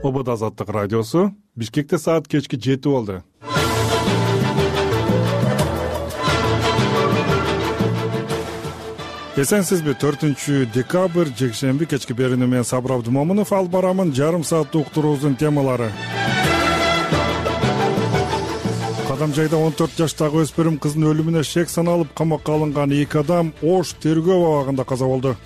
ОБД Азаттык радиосу. Бишкекте саат кечки 7 болду. Эсенсизби? 4-декабрь жекшемби кечки берүүнү мен Сабыр Абдымомунов алып барамын. Жарым сааттык уктуруубуздун темалары. Кадамжайда 14 жаштагы өспүрүм кыздын өлүмүнө шек саналып камакка алынган 2 адам Ош тергөө абагында каза болду.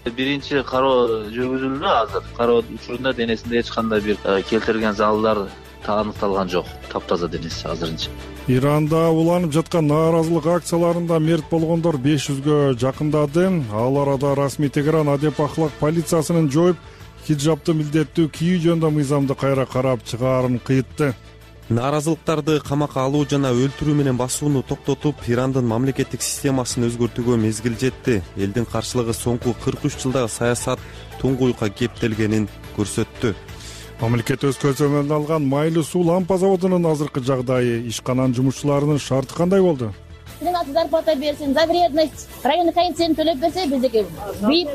Биринчи кароо жүргүзүлдү. Азыр кароо учурунда денесинде эч кандай бир келтирилген залалдар аныкталган жок. Таптаза денеси азырынча. Иранда уланып жаткан нааразылык акцияларында мерт болгондор 500гө жакындады. Ал арада расмий Тегеран адеп ахлак полициясынын жоюп, хиджабты милдеттүү кийүү жөнүндө мыйзамды кайра карап чыгаарын кыйтты. Нааразылыктарды камакка алуу жана өлтүрүү менен басууну токтотуп, Ирандын мамлекеттик системасын өзгөртүүгө мезгил жетти. Элдин каршылыгы соңку 43 жылдагы саясат туңгуюкка кептелгенин көрсөттү. Мамлекет өз көзөмөлүнө алган майлуу суу лампа заводунун азыркы жагдайы, ишкананын жумушчуларынын шарты кандай болду? Зарплата берсин, за вредность, районный коэффициент төлөп берсе, биздики $1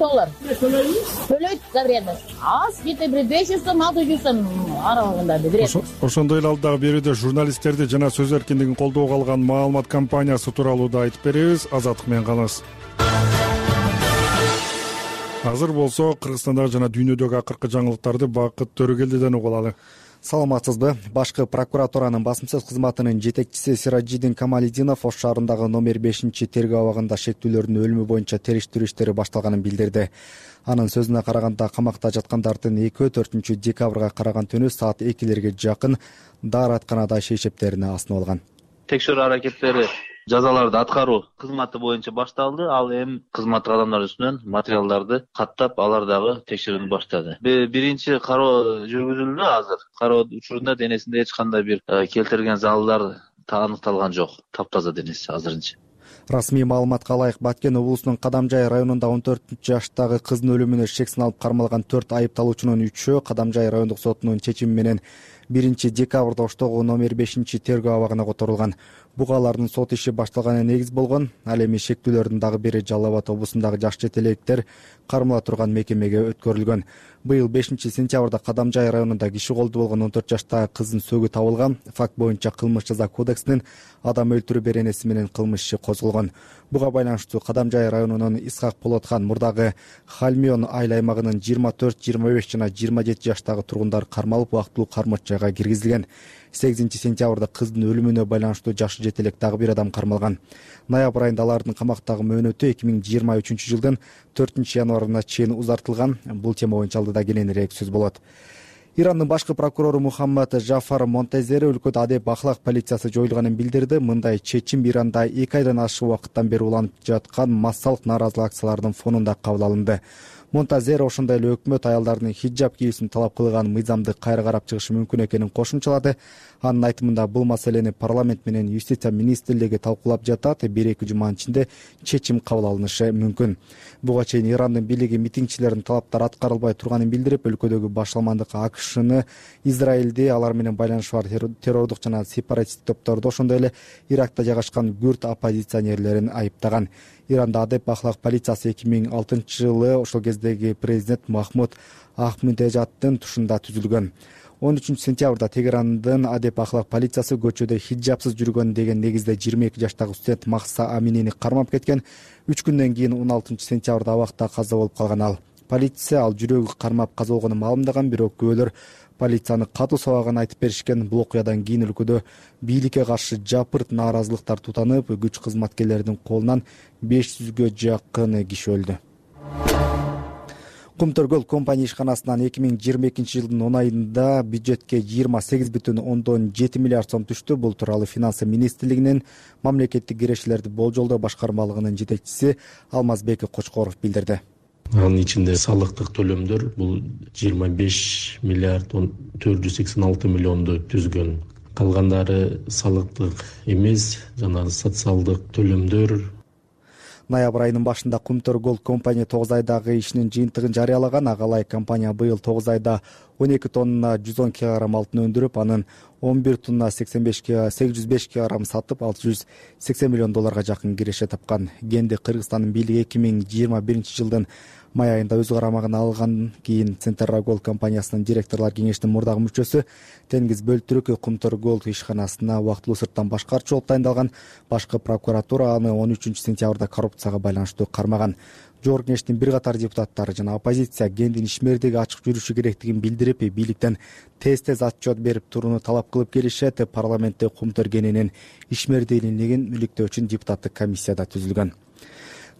төлөйт за вредность. Аз где-то 500 сом, 600 сом аралыгында вредность. Ошондой эле алдагы берүүдө журналисттерди жана сөз эркиндигин колдоого алган маалымат компаниясы тууралуу да айтып беребиз. Азаттык менен калыңыз. Азыр болсо Кыргызстандагы жана дүйнөдөгү акыркы жаңылыктарды Бакыт Төрөгелдиден угуп алалы. Саламатсызбы? Башкы прокуратуранын басым-сөз кызматынын жетекчиси Сиражидин Камалидинов Ош шаарындагы номер 5-тергөө абагында шектүүлөрдүн өлүмү боюнча териштирүү иштери башталганын билдирди. Анын сөзүнө караганда, камакта жаткандардын 4-декабрга караган түнү саат 2-лерге жакын дааратканада шейшептерине асынып алган. Текшерүү аракеттери жазаларды аткаруу кызматы боюнча башталды. Ал эми кызматтык адамдар үстүнөн материалдарды каттап, алар дагы текшерүүнү баштады. Биринчи кароо жүргүзүлдү. Азыр кароо учурунда денесинде эч кандай бир келтирилген залалдар аныкталган жок. Таптаза денеси азырынча. Расмий маалыматка ылайык, Баткен облусунун Кадамжай районунда 14 жаштагы кыздын өлүмүнө шек саналып кармалган 4 айыпталуучунун 3-өө Кадамжай райондук сотунун чечими менен 1-декабрда Оштогу номер 5-тергөө абагына которулган. Буга алардын сот иши башталганы негиз болгон. Ал эми шектүүлөрдүн дагы бири Жалал Абад облусундагы жаш жетелектер кармала турган мекемеге өткөрүлгөн. Быйыл 5-сентябрда Кадамжай районунда киши колду болгон 14 жаштагы кыздын сөөгү табылган. Факт боюнча кылмыш жаза кодексинин адам өлтүрүү беренеси менен кылмыш иши козголгон. Буга байланыштуу Кадамжай районунун Исхак Болотхан мурдагы Хальмион айыл аймагынын 24, 25 жана 27 жаштагы тургундар кармалып, убактылуу кармоч жайга киргизилген. 8-сентябрда кыздын өлүмүнө байланыштуу жаш жетелек дагы бир адам кармалган. Ноябрь айында алардын камактагы мөөнөтү 2023-жылдын 4-январына чейин узартылган. Бул тема боюнча алдыда кененирээк сөз болот. Ирандын башкы прокурору Мухаммад Жафар Монтезери өлкөдө адеп ахлак полициясы жоюлганын билдирди. Мындай чечим Иранда 2 айдан ашык убакыттан бери уланып жаткан массалык нааразылык акцияларынын фонунда кабыл алынды. Монтазер ошондой эле өкмөт аялдардын хиджаб кийүүсүн талап кылган мыйзамды кайра карап чыгышы мүмкүн экенин кошумчалады. Анын айтымында, бул маселени парламент менен юстиция министрлиги талкуулап жатат. 1-2 жуманын ичинде чечим кабыл алынышы мүмкүн. Буга чейин Ирандын бийлиги митингчилердин талаптары аткарылбай турганын билдирип, өлкөдөгү башаламандык АКШны, Израилди, алар менен байланышы бар террордук жана сепаратист топторду, ошондой эле Иракта жайгашкан күрд оппозиционерлерин айыптаган. Иранда адеп ахлак полициясы 2006-жылы ошол кездеги президент Махмуд Ахмеднежаддын тушунда түзүлгөн. 13-сентябрда Тегерандын адеп ахлак полициясы көчөдө хиджабсыз жүргөн деген негизде 22 жаштагы студент Махса Аминини кармап кеткен. 3 күндөн кийин 16-сентябрда абакта каза болуп калган ал. Полиция ал жүрөгү кармап каза болгонун маалымдаган, бирок күбөлөр полицияны катуу сабаган айтып беришкен. Бул окуядан кийин өлкөдө бийликке каршы жапырт нааразылыктар тутанып, күч кызматкерлеринин колунан 500гө жакын киши өлдү. Кумтөргөл компания ишканасынан 2022-жылдын 10 айында бюджетке 28,7 миллиард сом түштү. Бул тууралуу Финансы министрлигинин мамлекеттик кирешелерди болжолдоо башкармалыгынын жетекчиси Алмазбек Кочкоров билдирди. Анын ичинде салыктык төлөмдөр бул 25 миллиард 486 миллионду түзгөн. Калгандары салыктык эмес жана социалдык төлөмдөр. Ноябрь айынын башында Кумтөр Голд компания 9 айдагы ишинин жыйынтыгын жарыялаган. Ага ылайык компания быйыл 9 айда 12 тонна 110 кг алтын өндүрүп, анын 11 тонна 805 кг сатып, $680 миллион жакын киреше тапкан. Генди Кыргызстандын бийлиги 2021 жылдын май айында өз карамагына алган кийин Централ Голд компаниясынын директорлор кеңешинин мурдагы мүчөсү, Теңиз Бөлтүрүк Кумтөр Голд ишканасына убактылуу сырттан башкарчы болуп тайындалган. Башкы прокуратура аны 13 сентябрда коррупцияга байланыштуу кармаган. Жогорку Кеңештин бир катар депутаттары жана оппозиция Гендин ишмердиги ачык жүрүшү керектигин билдирип, бийликтен тез отчет берип турууну талап кылып келишет. Парламентте Кумтөр Генинин ишмердүүлүгүн иликтөө үчүн депутаттык комиссия да түзүлгөн.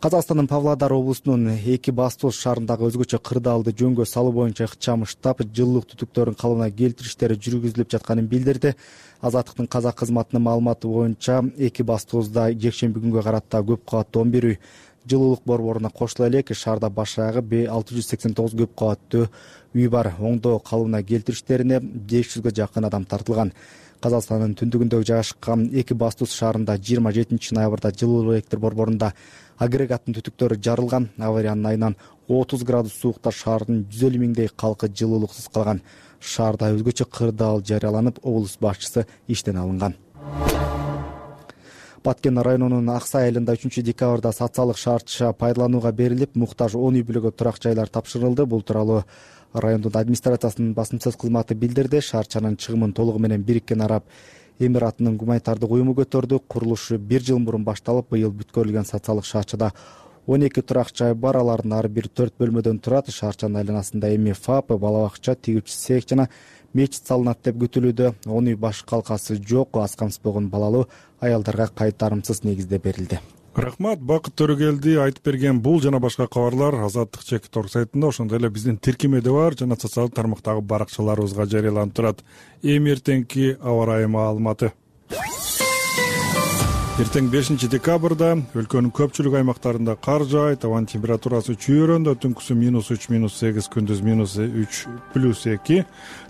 Казакстандын Павлодар облусунун Эки Бастуз шаарындагы өзгөчө кырдаалды жөнгө салуу боюнча ыкчам штаб жылуулук түтүктөрүн калыбына келтирүү иштери жүргүзүлүп жатканын билдирди. Азаттыктын казак кызматынын маалыматы боюнча Эки Бастузда жекшемби күнгө карата көп кабаттуу 11 үй жылуулук борборуна кошула элек. Шаарда баш аягы 689 көп кабаттуу үй бар. Оңдоо калыбына келтирүү иштерине 500гө жакын адам тартылган. Казакстандын түндүгүндө жайгашкан Эки Бастуз шаарында 27 ноябрда жылуулук электр борборунда агрегаттын түтүктөрү жарылган. Авариянын айынан 30 градус суукта шаардын 150 миңдей калкы жылуулуксуз калган. Шаарда өзгөчө кырдаал жарыяланып, облус башчысы иштен алынган. Баткен районунун Аксай айылында 3 декабрда социалдык шартча пайдаланууга берилип, муктаж 10 үй бүлөгкө турак жайлар тапшырылды. Бул тууралуу райондун администрациясынын басым сөз кызматы билдирди. Шаарчанын чыгымын толугу менен Бириккен Араб Эмиратынын гуманитардык уюму көтөрдү. Курулушу 1 жыл мурун башталып, быйыл бүткөрүлгөн социалдык шаарчада 12 турак жай бар. Алардын ар бири 4 бөлмөдөн турат. Шаарчанын айланасында эми ФАП, бала бакча, тигүүчү цех жана мечит салынат деп күтүлүүдө. 10 үй баш калкасы жок, аз камсыз балалуу аялдарга кайтарымсыз негизде берилди. Рахмат, Бакыт Төрөгелди айтып берген бул жана башка кабарлар Азаттык чек.org сайтында, ошондой эле биздин тиркемеде бар жана социалдык тармактагы баракчаларыбызга жарыяланып турат. Эми эртеңки аба ырайы маалыматы. Эртең 5 декабрда өлкөнүн көпчүлүк аймактарында кар жаайт, абанын температурасы чүйөрөндө, түнкүсү -3, -8, күндүз -3, +2.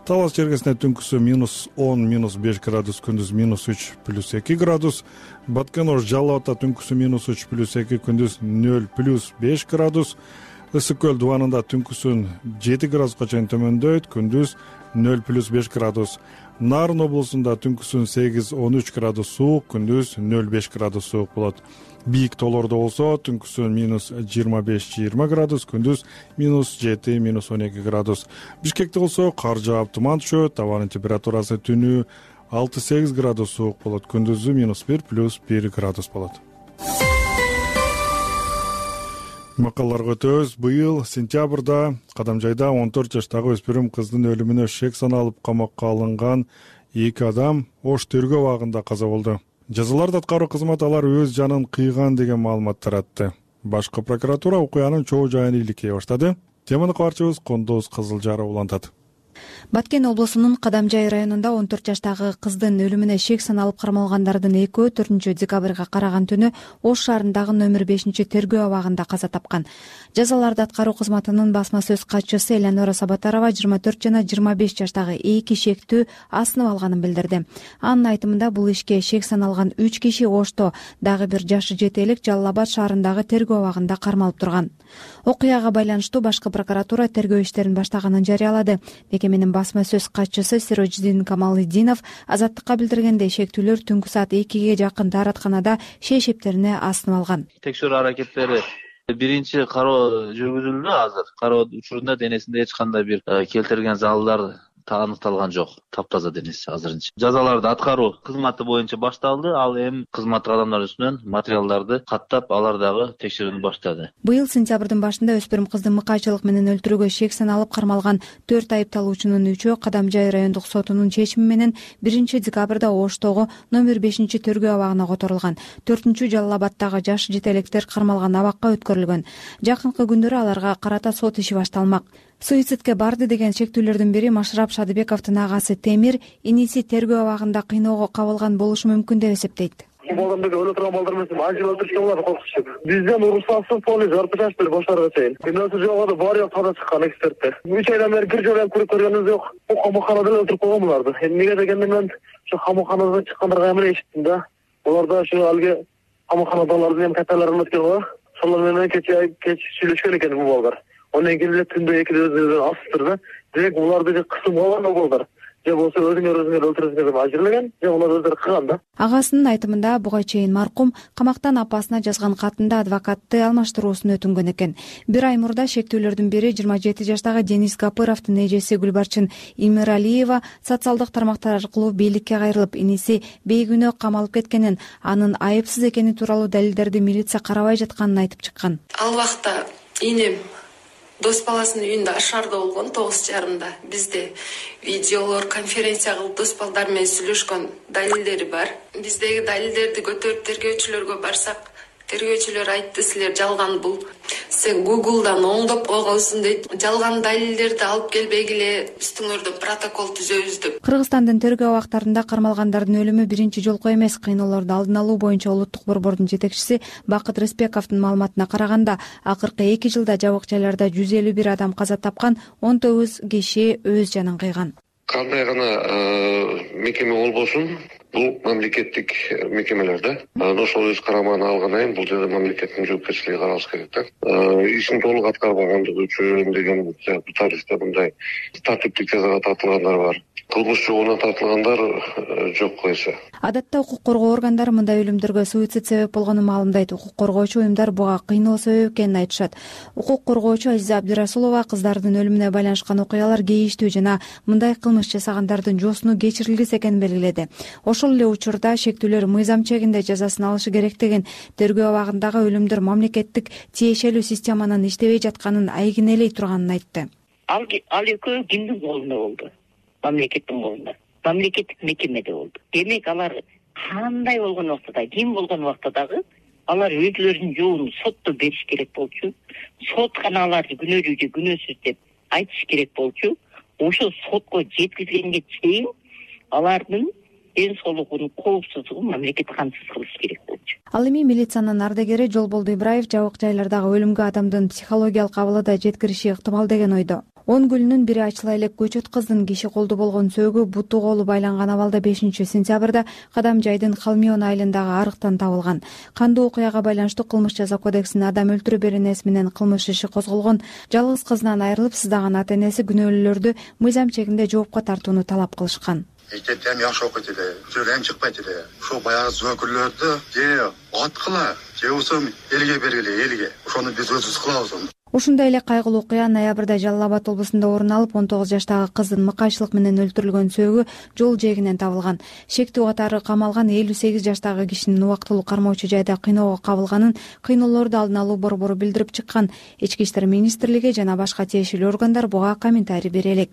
Талас чергесинде түнкүсү -10, -5 градус, күндүз -3, +2 градус. Баткен Ош Жалал Абадта түнкүсү -3, +2, күндүз 0, +5 градус. Ысык көл дубанында түнкүсүн 7 градуска чейин төмөндөйт, күндүз 0, +5 градус. Нарын облусунда түнкүсүн 8-13 градус суук, күндүз 0,5 градус суук болот. Бийик тоолордо болсо түнкүсүн -25-20 градус, күндүз -7-12 градус. Бишкекте болсо кар жаап туман түшөт, абанын температурасы түнү 6-8 градус суук болот, күндүзү -1, +1 градус болот. Макалаларга өтөбүз. Быйыл сентябрда Кадамжайда 14 жаштагы өспүрүм кыздын өлүмүнө шек саналып камакка алынган 2 адам Ош тергөө абагында каза болду. Жазаларды аткаруу кызматы алар өз жанын кыйган деген маалымат таратты. Башкы прокуратура окуянын чоо жайын иликтей баштады. Теманы кабарчыбыз Кондоз Кызылжаров улантат. Баткен облусунун Кадамжай районунда 14 жаштагы кыздын өлүмүнө шек саналып кармалгандардын экөө 4 декабрга караган түнү Ош шаарындагы номер 5 тергөө абагында каза тапкан. Жазаларды аткаруу кызматынын басма сөз катчысы Элеонора Сабатарова 24 жана 25 жаштагы 2 шектүү асынып алганын билдирди. Анын айтымында бул ишке шек саналган 3 киши Ошто, дагы бир жашы жете элек Жалал Абад шаарындагы тергөө абагында кармалып турган. Окуяга байланыштуу башкы прокуратура тергөө иштерин баштаганын жарыялады. Мекеменин басма сөз катчысы Сироджидин Камалидинов Азаттыкка билдиргендей, шектүүлөр түнкү саат 2ге жакын дааратканада шей шептерине асынып алган. Текшерүү аракеттери биринчи кароо жүргүзүлдү. Азыр кароо учурунда денесинде эч кандай бир келтирген залалдар аныкталган жок. Таптаза денеси азырынча. Жазаларды аткаруу кызматы боюнча башталды. Ал эми кызматтык адамдар үстүнөн материалдарды каттап, алар дагы текшерүүнү баштады. Быйыл сентябрдын башында өспүрүм кыздын мыкайчылык менен өлтүрүүгө шек саналып кармалган 4 айыпталуучунун 3-өө Кадамжай райондук сотунун чечими менен 1 декабрда Оштогу номер 5 тергөө абагына которулган. 4 Жалал Абадтагы жаш жетелектер кармалган абакка өткөрүлгөн. Жакынкы күндөрү аларга карата сот иши башталмак. Суицидке барды деген шектүүлөрдүн бири Машрап Шадыбековдун агасы Темир иниси тергөө абагында кыйноого кабылган болушу мүмкүн деп эсептейт. Балдарды өлө турган балдар менен ажыл өлтүрүшкө болот, коркутушуп. Бизден уруксатсыз полис жарып чачты башларга чейин. Күнөөсү жок да баары тада чыккан эксперттер. 3 айдан бери бир жолу көргөнүбүз жок. Бул камаканада өлтүрүп койгон буларды. Эмнеге дегенде мен ошо камаканадан чыккандарга эме эшиттим да. Буларда ошо алги камаканадалардын эми каталарын өткөн го. Шолор менен кеч сүйлөшкөн экен бул балдар. Ondan keyin түндө 2 өзүнө асыптыр да. Демек буларды кысым алган балдар же болбосо өзүңөр өлтүрөсүңөр деп ажырлаған, же алар өздөрү кылган да. Агасынын айтымында буга чейин маркум камактан апасына жазган катында адвокатты алмаштыруусун өтүнгөн экен. Бир ай мурда шектүүлөрдүн бири 27 жаштагы Денис Гапыровдун эжеси Гүлбарчын Имиралиева социалдык тармактар аркылуу бийликке кайрылып, иниси бейгүнөө камалып кеткенин, анын айыпсыз экени тууралуу далилдерди милиция карабай жатканын айтып чыккан. Ал убакта инем дос баласынын үйүндө ашарда болгон 9:30. Бизде видеолор, конференция кылып дос балдар менен сүйлөшкөн далилдери бар. Биздеги далилдерди көтөрүп тергөөчүлөргө барсак, тергөөчүлөр айтты, силер жалган бул. Сен Google'дан оңдоп койгонсуң дейт. Жалган далилдерди алып келбегиле үстүңөрдө протокол түзөбүз деп. Кыргызстандын тергөө абактарында кармалгандардын өлүмү биринчи жолку эмес. Кыйноолорду алдын алуу боюнча улуттук борбордун жетекчиси Бакыт Рыспековдун маалыматына караганда, акыркы 2 жылда жабык жайларда 151 адам каза тапкан, 19 киши өз жанын кыйган. Кандай гана мекеме болбосун, бул мамлекеттик мекемелер да. Ошол өз карамагына алгандан кийин бул жерде мамлекеттин жоопкерчилиги каралыш керек да. Ишин толук аткарбагандыгы үчүн деген тарихте мындай тартиптик жазага тартылгандар бар. Кылмыш жолуна тартылгандар жок койсо. Адатта укук коргоо органдары мындай өлүмдөргө суицид себеп болгонун маалымдайт. Укук коргоочу уюмдар буга кыйноо себеп экенин айтышат. Укук коргоочу Азиза Абдирасулова кыздардын өлүмүнө байланышкан окуялар кейиштүү жана мындай кылмыш жасагандардын жоосуну кечирилгис экенин белгиледи. Ошол эле учурда шектүүлөр мыйзам чегинде жазасын алышы керектигин, тергөө абагындагы өлүмдөр мамлекеттик тиешелүү системанын иштебей жатканын айгинелей турганын айтты. Ал экөө кимдин колунда болду? Мамлекеттин колунда. Мамлекеттик мекемеде болду. Демек алар кандай болгон убакта, ким болгон убакта дагы алар өзлөрүнүн жообун сотто бериш керек болчу. Сот гана аларды күнөөлүү же күнөөсүз деп айтыш керек болчу. Ошол сотко жеткизгенге чейин алардын ден соолугунун коопсуздугун мамлекет камсыз кылыш керек болчу. Ал эми милициянын ардегери Жолболду Ибраев жабык жайлардагы өлүмгө адамдын психологиялык абалы да жеткириши ыктымал деген ойдо. 10 гүлүнүн бири ачыла элек көчөт кыздын киши колду болгон сөөгү буту колу байланган абалда 5-сентябрда Кадамжайдын Халмион айылындагы арыктан табылган. Кандуу окуяга байланыштуу кылмыш жаза кодексинин адам өлтүрүү беренеси менен кылмыш иши козголгон. Жалгыз кызынан айрылып сыздаган ата энеси күнөөлүүлөрдү мыйзам чегинде жоопко тартууну талап кылышкан. Мектептен жакшы окуйт эле, сөйлөм чыкпайт эле. Ошол баягы зөөкүрлөрдү же аткыла, же болбосо элге бергиле, элге. Ошону биз өзүбүз кылабыз. Ушундай эле кайгылуу окуя ноябрда Жалал Абад облусунда орун алып, 19 жаштагы кыздын мыкайчылык менен өлтүрүлгөн сөөгү жол жээгинен табылган. Шектүү катары камалган 58 жаштагы кишинин убактылуу кармоочу жайда кыйноого кабылганын кыйноолорду алдын алуу борбору билдирип чыккан. Ички иштер министрлиги жана башка тиешелүү органдар буга комментарий бере элек.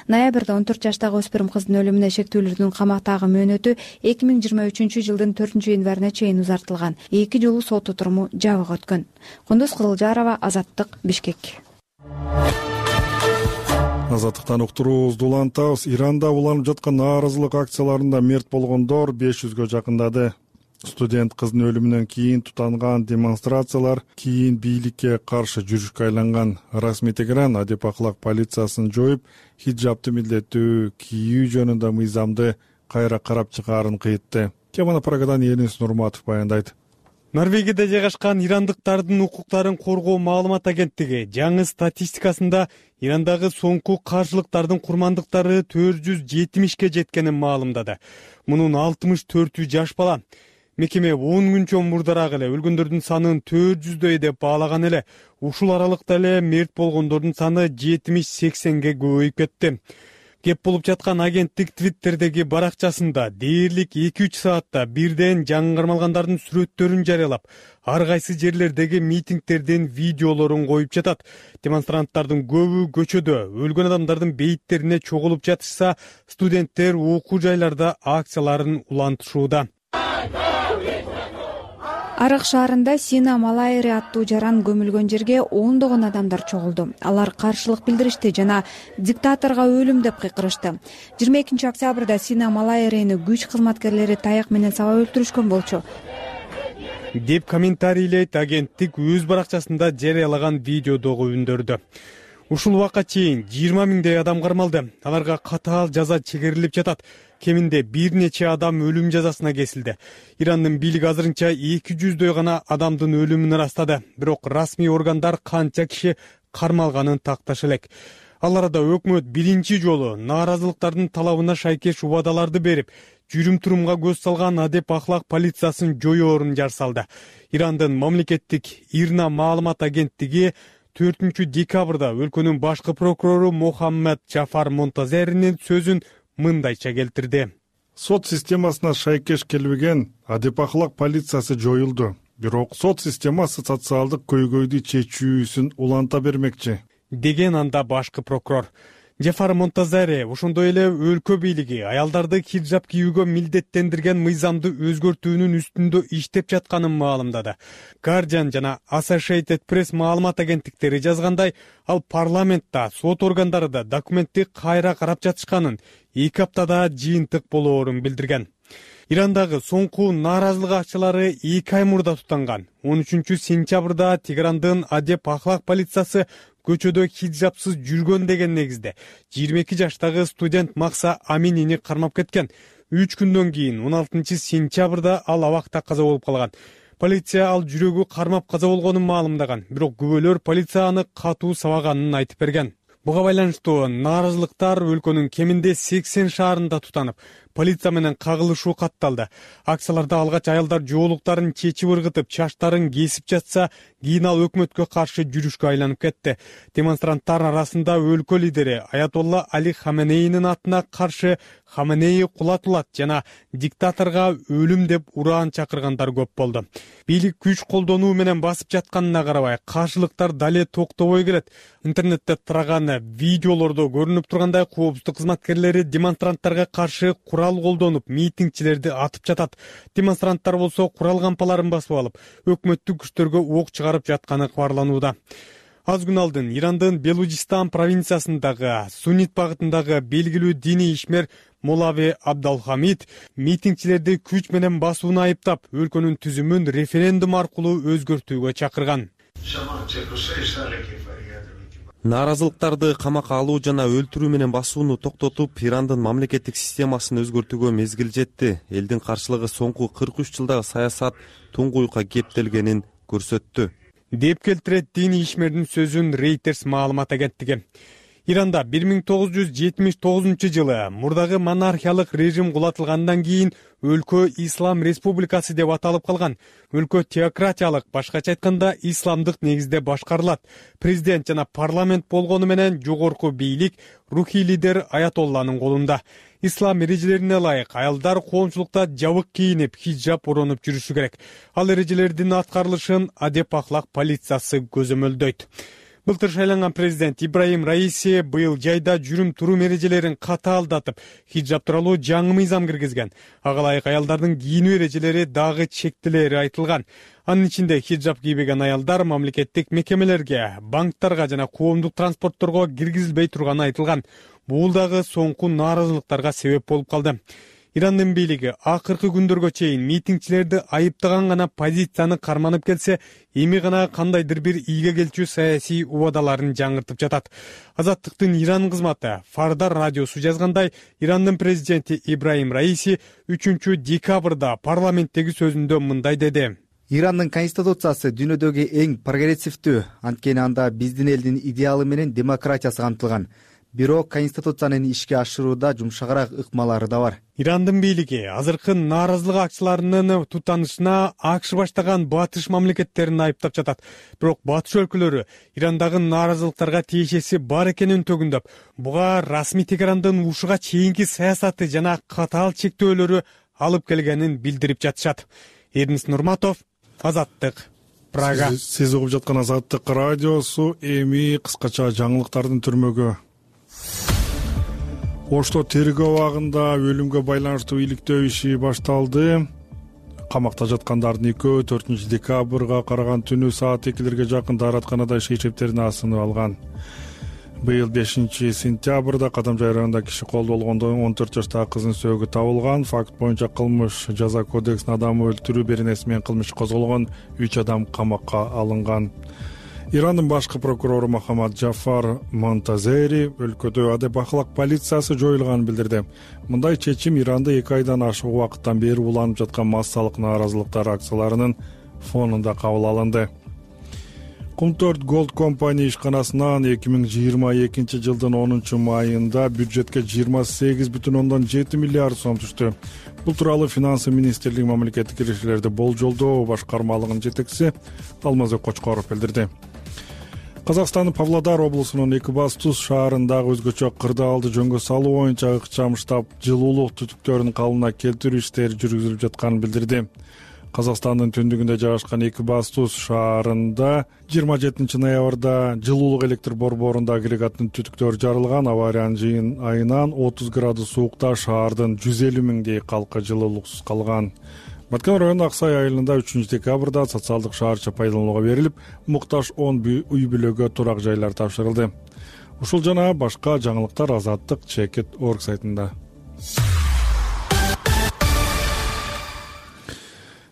Ноябрда 14 жаштагы өспүрүм кыздын өлүмүнө шектүүлөрдүн камактагы мөөнөтү 2023 жылдын 4-январына чейин узартылган. 2 жолу сот отуруму жабык өткөн. Кундуз Кызылжарова, Азаттык, Бишкек. Азаттыктан уктуруубузду улантабыз. Иранда уланып жаткан нааразылык акцияларында мерт болгондор 500гө жакындады. Студент кыздын өлүмүнөн кийин тутанган демонстрациялар кийин бийликке каршы жүрүшкө айланган. Расмий Тегеран адеп акылак полициясын жоюп, хиджабты милдеттүү кийүү жөнүндө мыйзамды кайра карап чыгаарын кыйтты. Кемана Прагадан Элис Нурматов баяндайт. Норвегияда жайгашкан ирандыктардын укуктарын коргоо маалымат агенттиги жаңы статистикасында Ирандагы соңку каршылыктардын курмандыктары 470ке жеткенин маалымдады. Мунун 64-ü жаш бала. Мекеме 10 күнчөн мурдараак эле өлгөндөрдүн санын 400дөй деп баалаган эле. Ушул аралыкта эле мерт болгондордун саны 70-80ге көбөйүп кетти. Кеп болуп жаткан агенттик Твиттердеги баракчасында дээрлик 2-3 саатта бирден жаңы кармалгандардын сүрөттөрүн жарыялап, ар кайсы жерлердеги митингдердин видеолорун коюп жатат. Демонстранттардын көбү көчөдө өлгөн адамдардын бейиттерине чогулуп жатышса, студенттер окуу жайларда акцияларын улантышууда. Арык шаарында Сина Малайри аттуу жаран көмүлгөн жерге ондогон адамдар чогулду. Алар каршылык билдиришти жана диктаторго өлүм деп кыйкырышты. 22 октябрда Сина Малайрини күч кызматкерлери таяк менен сабап өлтүрүшкөн болчу деп комментарийлейт агенттик өз баракчасында жарыялаган видеодогу үндөрдү. Ушул убакка чейин 20 миңдей адам кармалды. Аларга катаал жаза чегерилип жатат. Кеминде бир нече адам өлүм жазасына кесилди. Ирандын бийлиги азырынча 200дөй гана адамдын өлүмүн ырастады. Бирок расмий органдар канча киши кармалганын такташ элек. Ал арада өкмөт биринчи жолу нааразылыктардын талабына шайкеш убадаларды берип, жүрүм-турумга көз салган адеп ахлак полициясын жоёорун жар салды. Ирандын мамлекеттик ИРНА маалымат агенттиги 4 декабрда өлкөнүн башкы прокурору Мохаммед Джафар Монтазеринин сөзүн мындайча келтирди. Сот системасына шайкеш келбеген адеп ахлак полициясы жоюлду. Бирок сот системасы социалдык көйгөйдү чечүүсүн уланта бермекчи, деген анда башкы прокурор. Джафар Монтазери ошондой эле өлкө бийлиги аялдарды хиджаб кийүүгө милдеттендирген мыйзамды өзгөртүүнүн үстүндө иштеп жатканын маалымдады. Guardian жана Associated Press маалымат агенттиктери жазгандай, ал парламентте сот органдары да документти кайра карап жатышканын, 2 аптада жыйынтык болоорун билдирген. Ирандагы соңку нааразылык акчылары 2 ай мурда тутанган. 13 сентябрда Тегерандын адеп ахлак полициясы көчөдө хиджабсыз жүргөн деген негизде 22 жаштагы студент Макса Аминини кармап кеткен. 3 күндөн кийин 16 сентябрда ал абакта каза болуп калган. Полиция ал жүрөгү кармап каза болгонун маалымдаган, бирок күбөлөр полиция аны катуу сабаганын айтып берген. Буга байланыштуу нааразылыктар өлкөнүн кеминде 80 шаарында тутанып, полиция менен кагылышуу катталды. Акцияларда алгач аялдар жоолуктарын чечип ыргытып, чачтарын кесип жатса, кийин ал өкмөткө каршы жүрүшкө айланып кетти. Демонстранттар арасында өлкө лидери Аятолла Али Хаменейнин атына каршы Хаменей кулатылат жана диктаторго өлүм деп ураан чакыргандар көп болду. Бийлик күч колдонуу менен басып жатканына карабай, каршылыктар дале токтобой келет. Интернетте тараган видеолордо көрүнүп тургандай, коопсуздук кызматкерлери демонстранттарга каршы курал колдонуп, митингчилерди атып жатат. Демонстранттар болсо курал кампаларын басып алып, өкмөттүк күчтөргө ок чыгарып жатканы кабарланууда. Аз күн алдын Ирандын Белужистан провинциясындагы Суннит багытындагы белгилүү диний ишмер Молави Абдалхамид митингчилерди күч менен басууну айыптап, өлкөнүн түзүмүн референдум аркылуу өзгөртүүгө чакырган. Нааразылыктарды камакка алуу жана өлтүрүү менен басууну токтотуп, Ирандын мамлекеттик системасын өзгөртүүгө мезгил жетти. Элдин каршылыгы соңку 43 жылдагы саясат туңгуюкка кептелгенин көрсөттү, деп келтирет диний ишмердин сөзүн Reuters маалымат агенттиги. Иранда 1979 жылы мурдагы монархиялык режим кулатылгандан кийин өлкө Ислам республикасы деп аталып калган. Өлкө теократиялык, башкача айтканда исламдык негизде башкарылат. Президент жана парламент болгону менен жогорку бийлик рухий лидер Аятолланын колунда. Ислам эрежелерине ылайык аялдар коомчулукта жабык кийинип, хиджаб оронуп жүрүшү керек. Ал эрежелердин аткарылышын адеп ахлак полициясы көзөмөлдөйт. Былтыр шайланган президент Ибраим Раиси быйыл жайда жүрүм-турум эрежелерин катаалдатып, хиджаб тууралуу жаңы мыйзам киргизген. Ага ылайык аялдардын кийинүү эрежелери дагы чектелери айтылган. Анын ичинде хиджаб кийбеген аялдар мамлекеттик мекемелерге, банктарга жана коомдук транспортторго киргизилбей турганы айтылган. Бул дагы соңку нааразылыктарга себеп болуп калды. Ирандын бийлиги акыркы күндөргө чейин митингчилерди айыптаган гана позицияны карманып келсе, эми гана кандайдыр бир ийге келчү саясий убадаларын жаңыртып жатат. Азаттыктын Иран кызматы Фардар радиосу жазгандай, Ирандын президенти Ибраим Раиси 3 декабрда парламенттеги сөзүндө мындай деди. Ирандын конституциясы дүйнөдөгү эң прогрессивдүү, анткени анда биздин элдин идеалы менен демократиясы камтылган. Бирок конституциянын ишке ашырууда жумшагыраак ыкмалары да бар. Ирандын бийлиги азыркы нааразылык акчыларынын тутанышына АКШ баштаган батыш мамлекеттерин айыптап жатат. Бирок батыш өлкөлөрү Ирандагы нааразылыктарга тиешеси бар экенин төгүндөп, буга расмий Тегерандын ушуга чейинки саясаты жана катаал чектөөлөрү алып келгенин билдирип жатышат. Эрнис Нурматов, Азаттык, Прага. Сиз угуп жаткан Азаттык радиосу. Эми кыскача жаңылыктардын түрмөгү. Ошто тергөө абагында өлүмгө байланыштуу иликтөө иши башталды. Камакта жаткандардын экөө 4 декабрга караган түнү саат 2-лерге жакын дааратканада шейшептерин асынып алган. Быйыл 5 сентябрда Кадамжай районунда киши колдо болгондо 14 жаштагы кыздын сөөгү табылган. Факт боюнча кылмыш жаза кодексине адам өлтүрүү беренеси менен кылмыш козголгон, 3 адам камакка алынган. Ирандын башкы прокурору Мохаммед Джафар Монтазери өлкөдө адеп ахлак полициясы жоюлганын билдирди. Мындай чечим Иранда 2 айдан ашык убакыттан бери уланып жаткан массалык нааразылыктар акцияларынын фонунда кабыл алынды. Кум-4 Gold Company ишканасынан 2022 жылдын 10 майында бюджетке 28,7 миллиард сом түштү. Бул тууралуу Финансы министрлиги мамлекеттик кириштерди болжолдоо башкармалыгынын жетекчиси Алмазбек Кочкоров билдирди. Казакстандын Павлодар облусунун Экибастуз шаарындагы өзгөчө кырдаалды жөнгө салуу боюнча ыкчам штаб жылуулук түтүктөрүн калыбына келтирүү иштери жүргүзүлүп жатканын билдирди. Казакстандын түндүгүндө жайгашкан Экибастуз шаарында 27 ноябрда жылуулук электр борборунда агрегаттын түтүктөрү жарылган. Авариянын жыйын айынан 30 градус суукта шаардын 150 миңдей калкы жылуулуксуз калган. Баткен районунун Аксай айылында 3 декабрда социалдык шаарча пайдаланууга берилип, муктаж 10 үй бүлөгө турак жайлар тапшырылды. Ушул жана башка жаңылыктар Азаттык Чекит.org сайтында.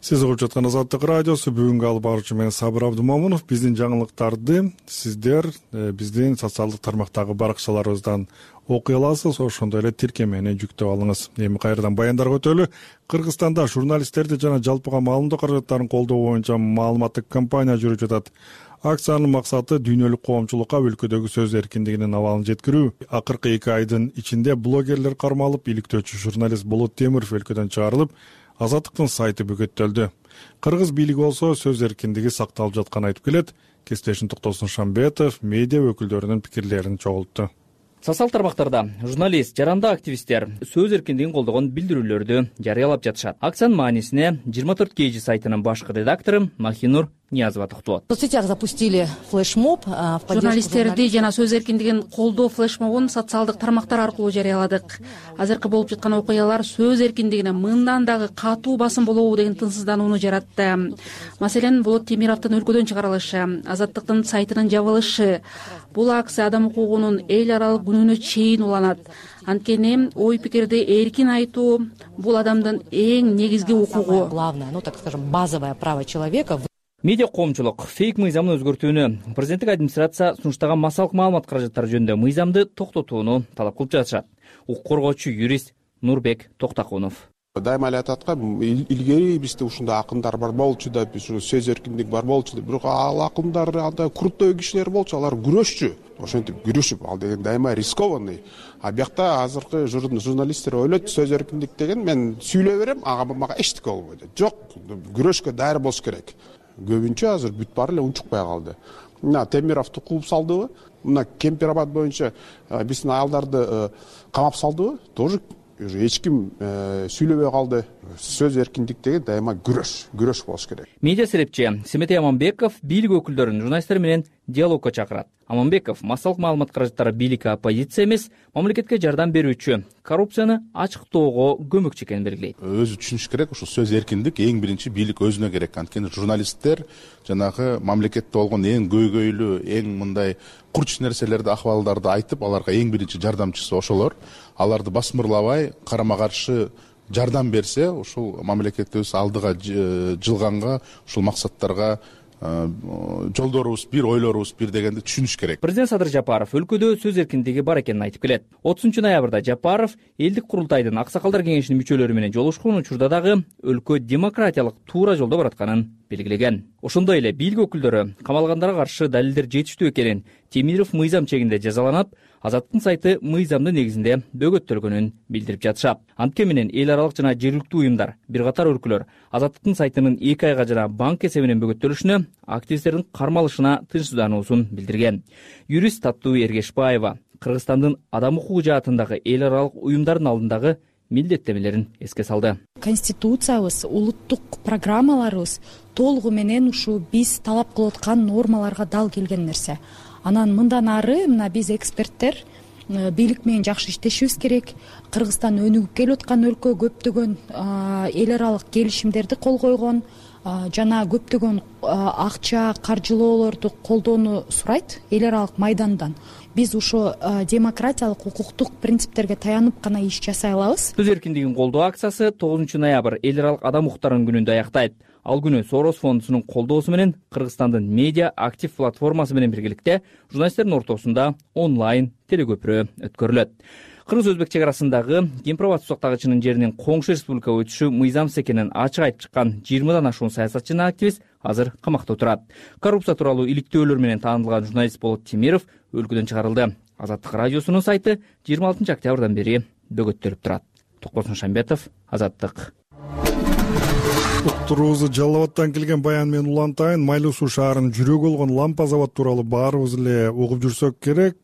Сиз угуп жаткан Азаттык радиосу. Бүгүнкү алып баруучу мен Сабыр Абдумомунов. Биздин жаңылыктарды сиздер биздин социалдык тармактагы баракчаларыбыздан окуй аласыз, ошондой эле тиркемени жүктөп алыңыз. Эми кайрадан баяндарга өтөлү. Кыргызстанда журналисттерди жана жалпыга маалымдоо каражаттарын колдоо боюнча маалыматтык кампания жүрүп жатат. Акциянын максаты дүйнөлүк коомчулукка өлкөдөгү сөз эркиндигинин абалын жеткирүү. Акыркы 2 айдын ичинде блогерлер кармалып, иликтөөчү журналист Болот Темиров өлкөдөн чыгарылып, Азаттыктын сайты бөгөттөлдү. Кыргыз бийлиги болсо сөз эркиндиги сакталып жатканын айтып келет. Кесиптешим Токтосун Шамбетов медиа өкүлдөрүнүн пикирлерин чогултту. Социалдык тармактарда журналист, жарандык активисттер сөз эркиндигин колдогон билдирүүлөрдү жарыялап жатышат. Акциянын маанисине 24 KG сайтынын башкы редактору Махинур Ниязова токтолот. В соцсетях запустили флешмоб. Журналисттерди жана сөз эркиндигин колдоо флешмобун социалдык тармактар аркылуу жарыяладык. Азыркы болуп жаткан окуялар сөз эркиндигине мындан дагы катуу басым болобу деген тынчсызданууну жаратты. Маселен, Болот Темировдун өлкөдөн чыгарылышы, Азаттыктын сайтынын жабылышы. Бул акция адам укугунун эл аралык күнүнө чейин уланат. Анткени ой пикирди эркин айтуу бул адамдын эң негизги укугу. Главное, так скажем, базовое право человека. Медиа коомчулук фейк мыйзамын өзгөртүүнү, президенттик администрация сунуштаган массалык маалымат каражаттары жөнүндө мыйзамды токтотууну талап кылып жатышат. Укук коргоочу юрист Нурбек Токтакунов. Дайыма эле айтат го, илгери бизде ушундай акындар бар болчу деп, сөз эркиндиги бар болчу деп. Бирок ал акындар андай крутой кишилер болчу, алар күрөшчү. Ошентип күрөшүп, ал деген дайыма рискованный. А биякта азыркы журналисттер ойлойт, сөз эркиндик деген мен сүйлөй берем, мага эчтеке болбойт. Жок, күрөшкө даяр болуш керек. Көбүнчө азыр бүт баары эле унчукпай калды. Мына Темировду кууп салдыбы? Мына Кемпирабад боюнча биздин аялдарды камап салдыбы? Тоже эч ким сүйлөбөй калды. Сөз эркиндик деген дайыма күрөш болуш керек. Медиа серепчи Семетей Аманбеков бийлик өкүлдөрүн журналисттер менен диалогко чакырат. Аманбеков массалык маалымат каражаттары бийликке оппозиция эмес, мамлекетке жардам берүүчү, коррупцияны ачыктоого көмөкчү экенин белгилейт. Өзү түшүнүш керек, ушул сөз эркиндик эң биринчи бийлик өзүнө керек. Анткени журналисттер жанагы мамлекетте болгон эң көйгөйлүү, эң мындай курч нерселерди, акыбалдарды айтып, аларга эң биринчи жардамчысы ошолор. Аларды басмырлабай, карама каршы жардам берсе, ушул мамлекетибиз алдыга жылганга, ушул максаттарга жолдорубуз бир, ойлорубуз бир дегенди түшүнүш керек. Президент Садыр Жапаров өлкөдө сөз эркиндиги бар экенин айтып келет. 30 ноябрда Жапаров элдик курултайдын аксакалдар кеңешинин мүчөлөрү менен жолугушкан учурда дагы өлкө демократиялык туура жолдо баратканын белгилеген. Ошондой эле бийлик өкүлдөрү камалгандарга каршы далилдер жетиштүү экенин, Темиров мыйзам чегинде жазаланып, Азаттыктын сайты мыйзамдын негизинде бөгөттөлгөнүн билдирип жатышат. Антке менен эл аралык жана жергиликтүү уюмдар, бир катар өлкөлөр Азаттыктын сайтынын 2 айга жана банк эсебинен бөгөттөлүшүнө, активисттердин кармалышына тынчсыздануусун билдирген. Юрист Таттуу Эргешбаева Кыргызстандын адам укугу жаатындагы эл аралык уюмдардын алдындагы милдеттемелерин эске салды. Конституциябыз, улуттук программаларыбыз толугу менен ушу биз талап кылып аткан нормаларга дал келген нерсе. Анан мындан ары мына биз эксперттер бийлик менен жакшы иштешибиз керек. Кыргызстан өнүгүп келип аткан өлкө, көптөгөн эл аралык келишимдерди кол койгон жана көптөгөн акча, каржылоолорду колдоону сурайт эл аралык майдандан. Биз ушу демократиялык, укуктук принциптерге таянып гана иш жасай алабыз. Сөз эркиндигин колдоо акциясы 9 ноябрь эл аралык адам укуктарынын күнүндө аяктайт. Ал күнү Сорос фондунун колдоосу менен Кыргызстандын медиа актив платформасы менен биргеликте журналисттердин ортосунда онлайн телекөпүрө өткөрүлөт. кыргыз-өзбек чек арасындагы Кемпир-Абад суу сактагычынын жеринин коңшу республикага өтүшү мыйзамсыз экенин ачык айтып чыккан 20дан ашуун саясатчы жана активист азыр камакта отурат. Коррупция тууралуу иликтөөлөр менен таанылган журналист Болот Темиров өлкөдөн чыгарылды. Азаттык радиосунун сайты 26 октябрдан бери бөгөттөлүп турат. Токбосун Шамбетов, Азаттык. Уктуруубузду Жалал Абадтан келген баян менен улантайын. Майлуу суу шаарынын жүрөгү болгон лампа завод тууралуу баарыбыз эле угуп жүрсөк керек.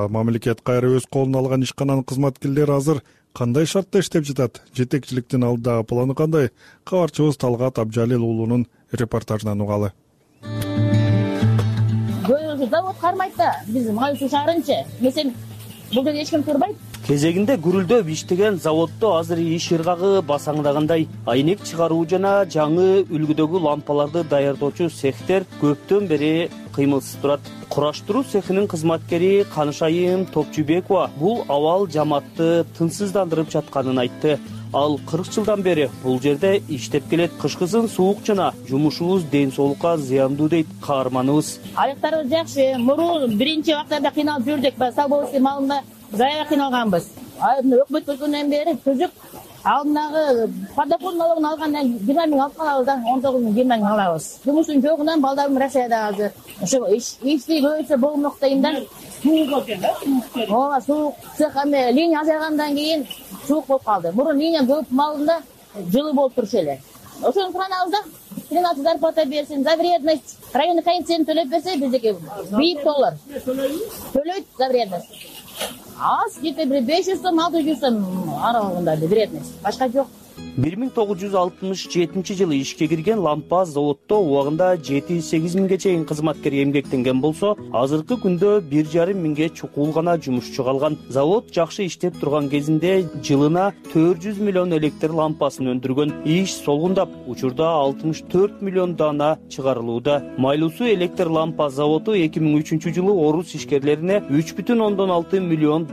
Мамлекет кайра өз колуна алган ишкананын кызматкерлери азыр кандай шартта иштеп жатат? Жетекчиликтин алдыдагы планы кандай? Кабарчыбыз Талгат Абжалил уулунун репортажынан угалы. Завод кармайт да, биз майлуу суу шаарынчы. Месен бул жерде эч ким турбайт. Кезегинде гүрүлдөп иштеген заводдо азыр иш ыргагы басаңдагандай. Айнек чыгаруу жана жаңы үлгүдөгү лампаларды даярдоочу цехтер көптөн бери кыймылсыз турат. Кураштыруу цехинин кызматкери Канышайым Топчубекова бул абал жамаатты тынчсыздандырып жатканын айтты. Ал 40 жылдан бери бул жерде иштеп келет. Кышкысын суук жана жумушубуз ден соолукка зыяндуу дейт каарманыбыз. Аяктарыбыз жакшы. Мурун биринчи вактарда кыйналып жүрдүк. Салбовский малында зая кыйналганбыз. Өкмөт көзгөндөн бери түзүк алдындагы подохон налогун алгандан 20 миң алып калабыз да, 19 миң 20 миң алабыз. Жумуштун жогунан балдарым Россияда азыр. Ошо ишти көбөйсө болмок дейм да. Ооба, суук цех линия азайгандан кийин суук болуп калды. Мурун линия көп малында жылы болуп турчу эле. Ошону суранабыз да. 13 зарплата берсин, за вредность. Районный коэффициент төлөп берсе, биздики $1 төлөйт за вредность. Аз где-то 500 сом, 600 сом аралыгында вредность. Башка жок. 1967 жылы ишке кирген лампа заводдо убагында 7-8 миңге чейин кызматкер эмгектенген болсо, азыркы күндө 1,5 миңге чукул гана жумушчу калган. Завод жакшы иштеп турган кезинде жылына 400 миллион электр лампасын өндүргөн. Иш солгундап, учурда 64 миллион дана чыгарылууда. Майлуу суу электр лампа заводу 2003 жылы орус ишкерлерине $3,6 миллион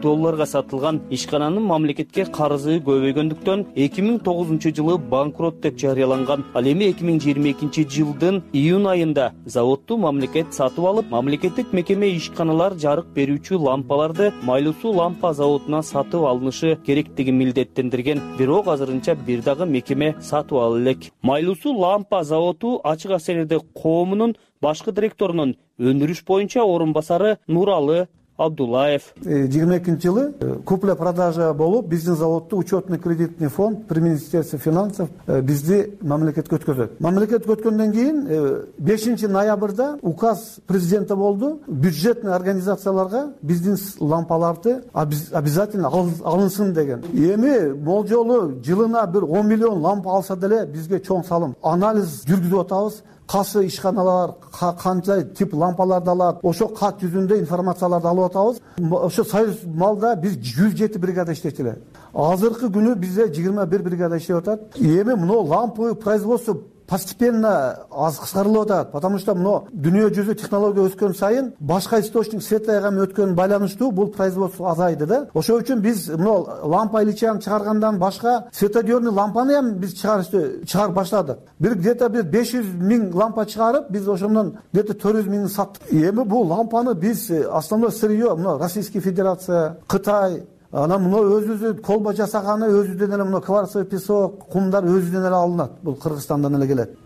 сатылган. Ишкананын мамлекетке карызы көбөйгөндүктөн 2009 жылы банкрот деп жарыяланган. Ал эми 2022 жылдын июнь айында заводду мамлекет сатып алып, мамлекеттик мекеме ишканалар жарык берүүчү лампаларды Майлуу суу лампа заводуна сатып алынышы керектиги милдеттендирген. Бирок азырынча бир дагы мекеме сатып ала элек. Майлуу суу лампа заводу ачык акционердик коомунун башкы директорунун өндүрүш боюнча орун басары Нуралы Абдулаев. 22 жылы купля-продажа болуп, биздин заводду учетный кредитный фонд при Министерстве финансов бизди мамлекетке өткөзөт. Мамлекетке өткөндөн кийин 5 ноябрда указ президента болду. Бюджетный организацияларга биздин лампаларды обязательно алынсын деген. Эми болжолу жылына бир 10 миллион лампа алса деле бизге чоң салым. Анализ жүргүзүп атабыз. Кайсы ишканалар канча тип лампаларды алат, ошо кат жүзүндө информацияларды алып атабыз. Ошо Союз малда биз 107 бригада иштечү эле. Азыркы күнү бизде 21 бригада иштеп атат. Эми мына лампы производство постепенно аз кыскарылып атат, потому что мына дүйнө жүзү технология өскөн сайын башка источник светлая өткөн байланыштуу бул производство азайды да. Ошол үчүн биз мына лампа иличаны чыгаргандан башка светодиодный лампаны ham биз чыгарып баштадык. Бир где-то 500 миң лампа чыгарып, биз ошондон где-то 400 миңин саттык. Эми бул лампаны биз основной сырье мына Российская Федерация, Кытай, анан мына өзүбүз колбо жасаганы өзүбүздөн эле мына кварцевый песок, кумдар өзүбүздөн эле алынат. Бул Кыргызстандан эле келет.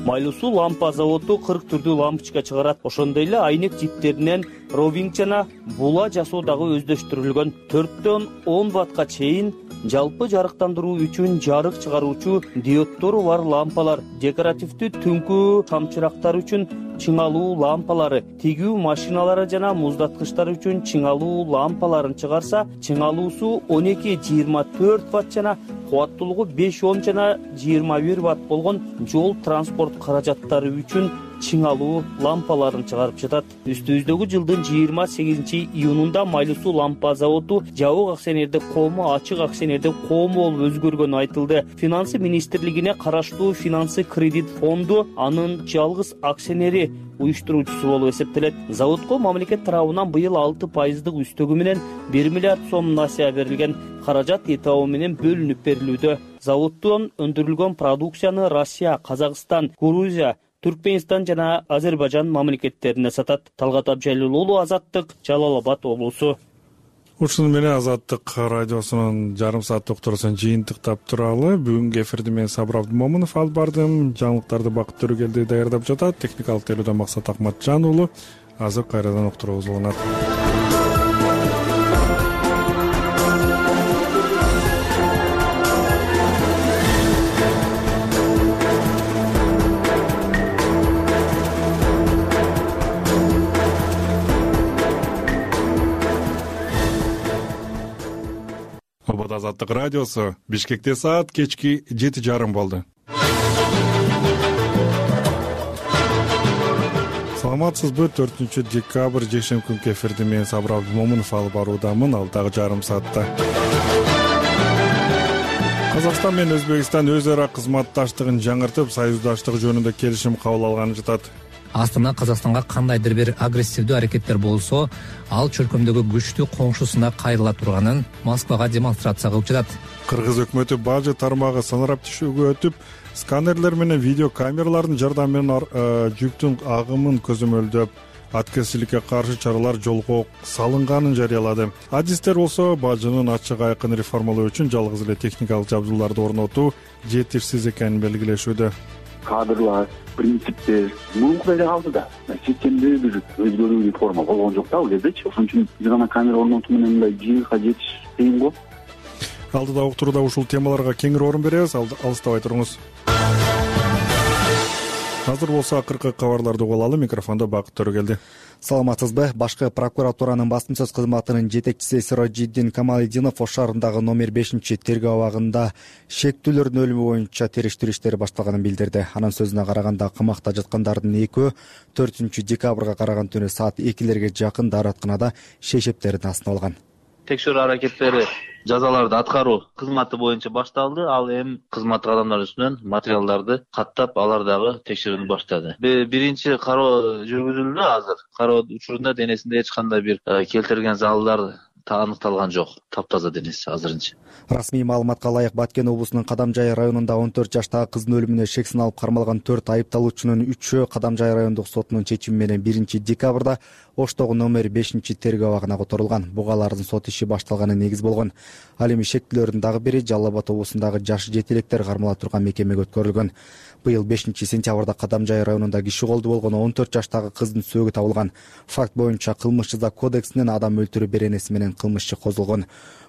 Майлуу суу лампа заводу 40 түрдүү лампочка чыгарат. Ошондой эле айнек жиптеринен ровинг жана була жасоо дагы өздөштүрүлгөн. 4дөн 10 ваттка чейин жалпы жарыктандыруу үчүн жарык чыгаруучу диоддору бар лампалар, декоративдүү түнкү камчырактар үчүн чыңалуу лампалары, тигүү машиналары жана муздаткычтар үчүн чыңалуу лампаларын чыгарса, чыңалуусу 12-24 ватт жана кубаттуулугу 5-10 жана 21 ватт болгон жол транспорт каражаттары үчүн чыңалуу лампаларын чыгарып жатат. Үстүбүздөгү жылдын 28 июнунда Майлуу суу лампа заводу жабык акционердик коому ачык акционердик коом болуп өзгөргөнү айтылды. Финансы министрлигине караштуу финансы кредит фонду анын жалгыз акционери уюштуруучусу болуп эсептелет. Заводко мамлекет тарабынан быйыл 6% үстөгү менен 1 миллиард сом насыя берилген. Каражат этабы менен бөлүнүп берилүүдө. Заводдон өндүрүлгөн продукцияны Россия, Казакстан, Грузия, Түркменстан жана Азербайжан мамлекеттерине сатат. Талгат Абжалил уулу, Азаттык, Жалал Абад облусу. ушуну менен Азаттык радиосунун жарым сааттык уктуруусун жыйынтыктап туралы. Бүгүнкү эфирди мен Сабыр Абдымомунов алып бардым. Жаңылыктарды Бакыт Төрөгелди даярдап жатат. Техникалык тейлөөдөн Максат Акматжан уулу. Азыр кайрадан уктуруубуз уланат. Азаттык радиосу. Бишкекте саат кечки 7:30 болду. Саламатсызбы? 4 декабрь жекшемби күнкү эфирди мен Сабыр Абдымомунов алып баруудамын. Алдагы жарым саатта Казакстан менен Өзбекстан өз ара кызматташтыгын жаңыртып, союздаштык жөнүндө келишим кабыл алганы жатат. Астана Казакстанга кандайдыр бир агрессивдүү аракеттер болсо, ал чөлкөмдөгү күчтүү коңшусуна кайрыла турганын Москвага демонстрация кылып жатат. Кыргыз өкмөтү бажы тармагы санарап түшүүгө өтүп, сканерлер менен видеокамералардын жардамы менен жүктүн агымын көзөмөлдөп, аткезчиликке каршы чаралар жолго салынганын жарыялады. Адистер болсо бажынын ачык айкын реформалоо үчүн жалгыз эле техникалык жабдууларды орнотуу жетишсиз экенин белгилешүүдө. Кадрлар, принциптер мурункудай эле калды да. Системде бир өзгөрүү реформа болгон жок да ал кездечи. Ошон үчүн бир гана камера орнотуу менен мындай жыйынтыкка жетиш кыйын го. Алдыда уктурууда ушул темаларга кеңири орун беребиз. Алыстабай туруңуз. Азыр болсо акыркы кабарларды угуп алалы. Микрофондо Бакыт Төрөгелди. Саламатсызбы? Башкы прокуратуранын басым сөз кызматынын жетекчиси Сирожиддин Камалидинов Ош шаарындагы номер 5-тергөө абагында шектүүлөрдүн өлүмү боюнча териштирүү иштери башталганын билдирди. Анын сөзүнө караганда камакта жаткандардын экөө 4 декабрга караган түнү саат 2-лерге жакын дааратканада шейшептерин астына алган. Текшерүү аракеттери жазаларды аткаруу кызматы боюнча башталды. Ал эми кызматтык адамдар үстүнөн материалдарды каттап, алар дагы текшерүүнү баштады. Биринчи кароо жүргүзүлдү азыр. Кароо учурунда денесинде эч кандай бир келтирилген залдар аныкталган жок. Таптаза денеси азырынча. Расмий маалыматка ылайык Баткен облусунун Кадамжай районунда 14 жаштагы кыздын өлүмүнө шек саналып кармалган 4 айыпталуучунун 3-өө Кадамжай райондук сотунун чечими менен 1 декабрда Оштогу номер 5-тергөө абагына которулган. Буга алардын сот иши башталганы негиз болгон. Ал эми шектүүлөрдүн дагы бири Жалал Абад облусундагы жаш жетелектер кармала турган мекемеге өткөрүлгөн. Быйыл 5-сентябрда Кадамжай районунда киши колду болгон 14 жаштагы кыздын сөөгү табылган. Факт боюнча кылмыш жаза кодексинен адам өлтүрүү беренеси менен кылмыш иши козголгон.